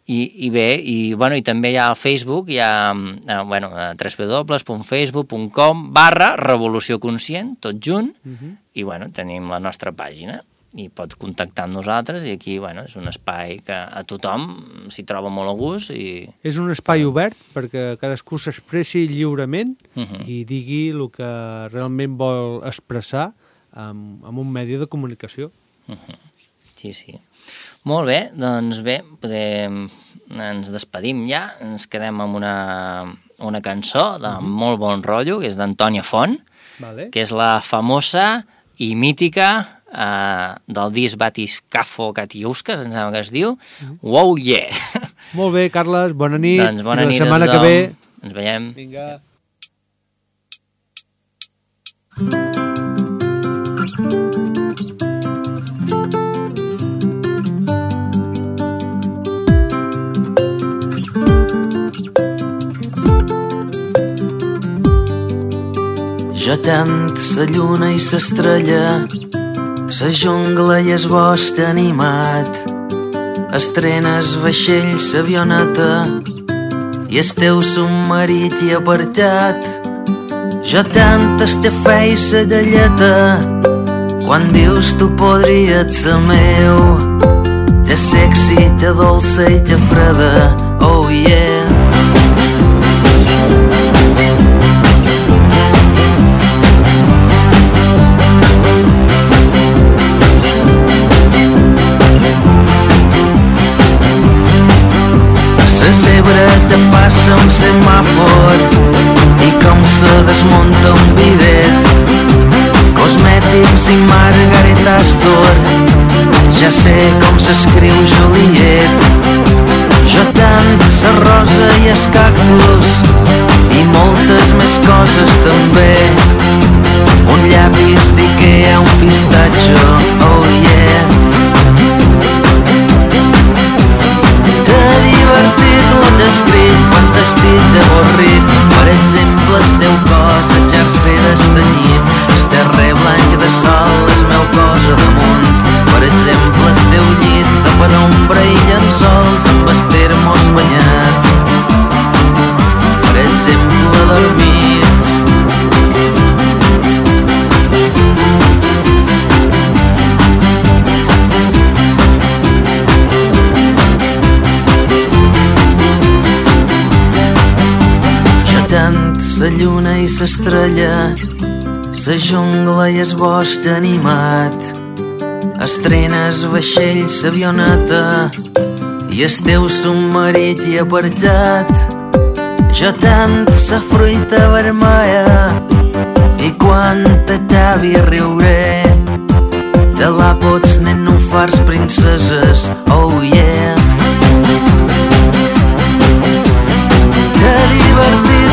I, i bé, i, bueno, i també hi ha al Facebook, hi ha eh, bueno, w w w punt facebook punt com barra Revolució Conscient, tot junt, uh-huh. i bueno, tenim la nostra pàgina, i pot contactar amb nosaltres, i aquí, bueno, és un espai que a tothom s'hi troba molt a gust. I... És un espai obert perquè cadascú s'expressi lliurement uh-huh. i digui el que realment vol expressar amb, amb un medi de comunicació. Uh-huh. Sí, sí. Molt bé, doncs bé, podem... ens despedim ja, ens quedem amb una, una cançó de uh-huh. molt bon rotllo, que és d'Antònia Font, vale. que és la famosa i mítica uh, del disc Batiscafo Katiuskas, em sembla que es diu, uh-huh. Wow Yeah! Molt bé, Carles, bona nit. Doncs bona nit la setmana a que ve ens veiem. Vinga. Jo tant sa lluna i s'estrella, sa jungla i es bosc animat, estrenes vaixell s'avioneta i el teu submarit i apartat. Jo tant estafè i sa galleta, quan dius tu podries ser meu, te sexy, te dolça i te freda, oh yeah. La zebra te passa un semàfor i com se desmunta un bidet, cosmètics i Margaret Astor, ja sé com s'escriu Juliet. Jo tant sa rosa i es cactus i moltes més coses també, un llapis d'Ikea, un pistatxo, oh yeah. T'ha divertit l'ho escrit quan t'estic avorrit, per exemple el teu cos el jersei destanyit, el terrer blanc de sol és meu cos a damunt, per exemple el teu llit de penombra i llençols amb el termos banyat, per exemple dormits. Tant sa lluna i s'estrella, sa jungla i es bosc animat, estrenes vaixell s'avioneta i el teu submarit i apartat. Jo tant sa fruita vermella i quan t'atavi riuré, de l'àpots nenúfars princeses, oh yeah. Que divertit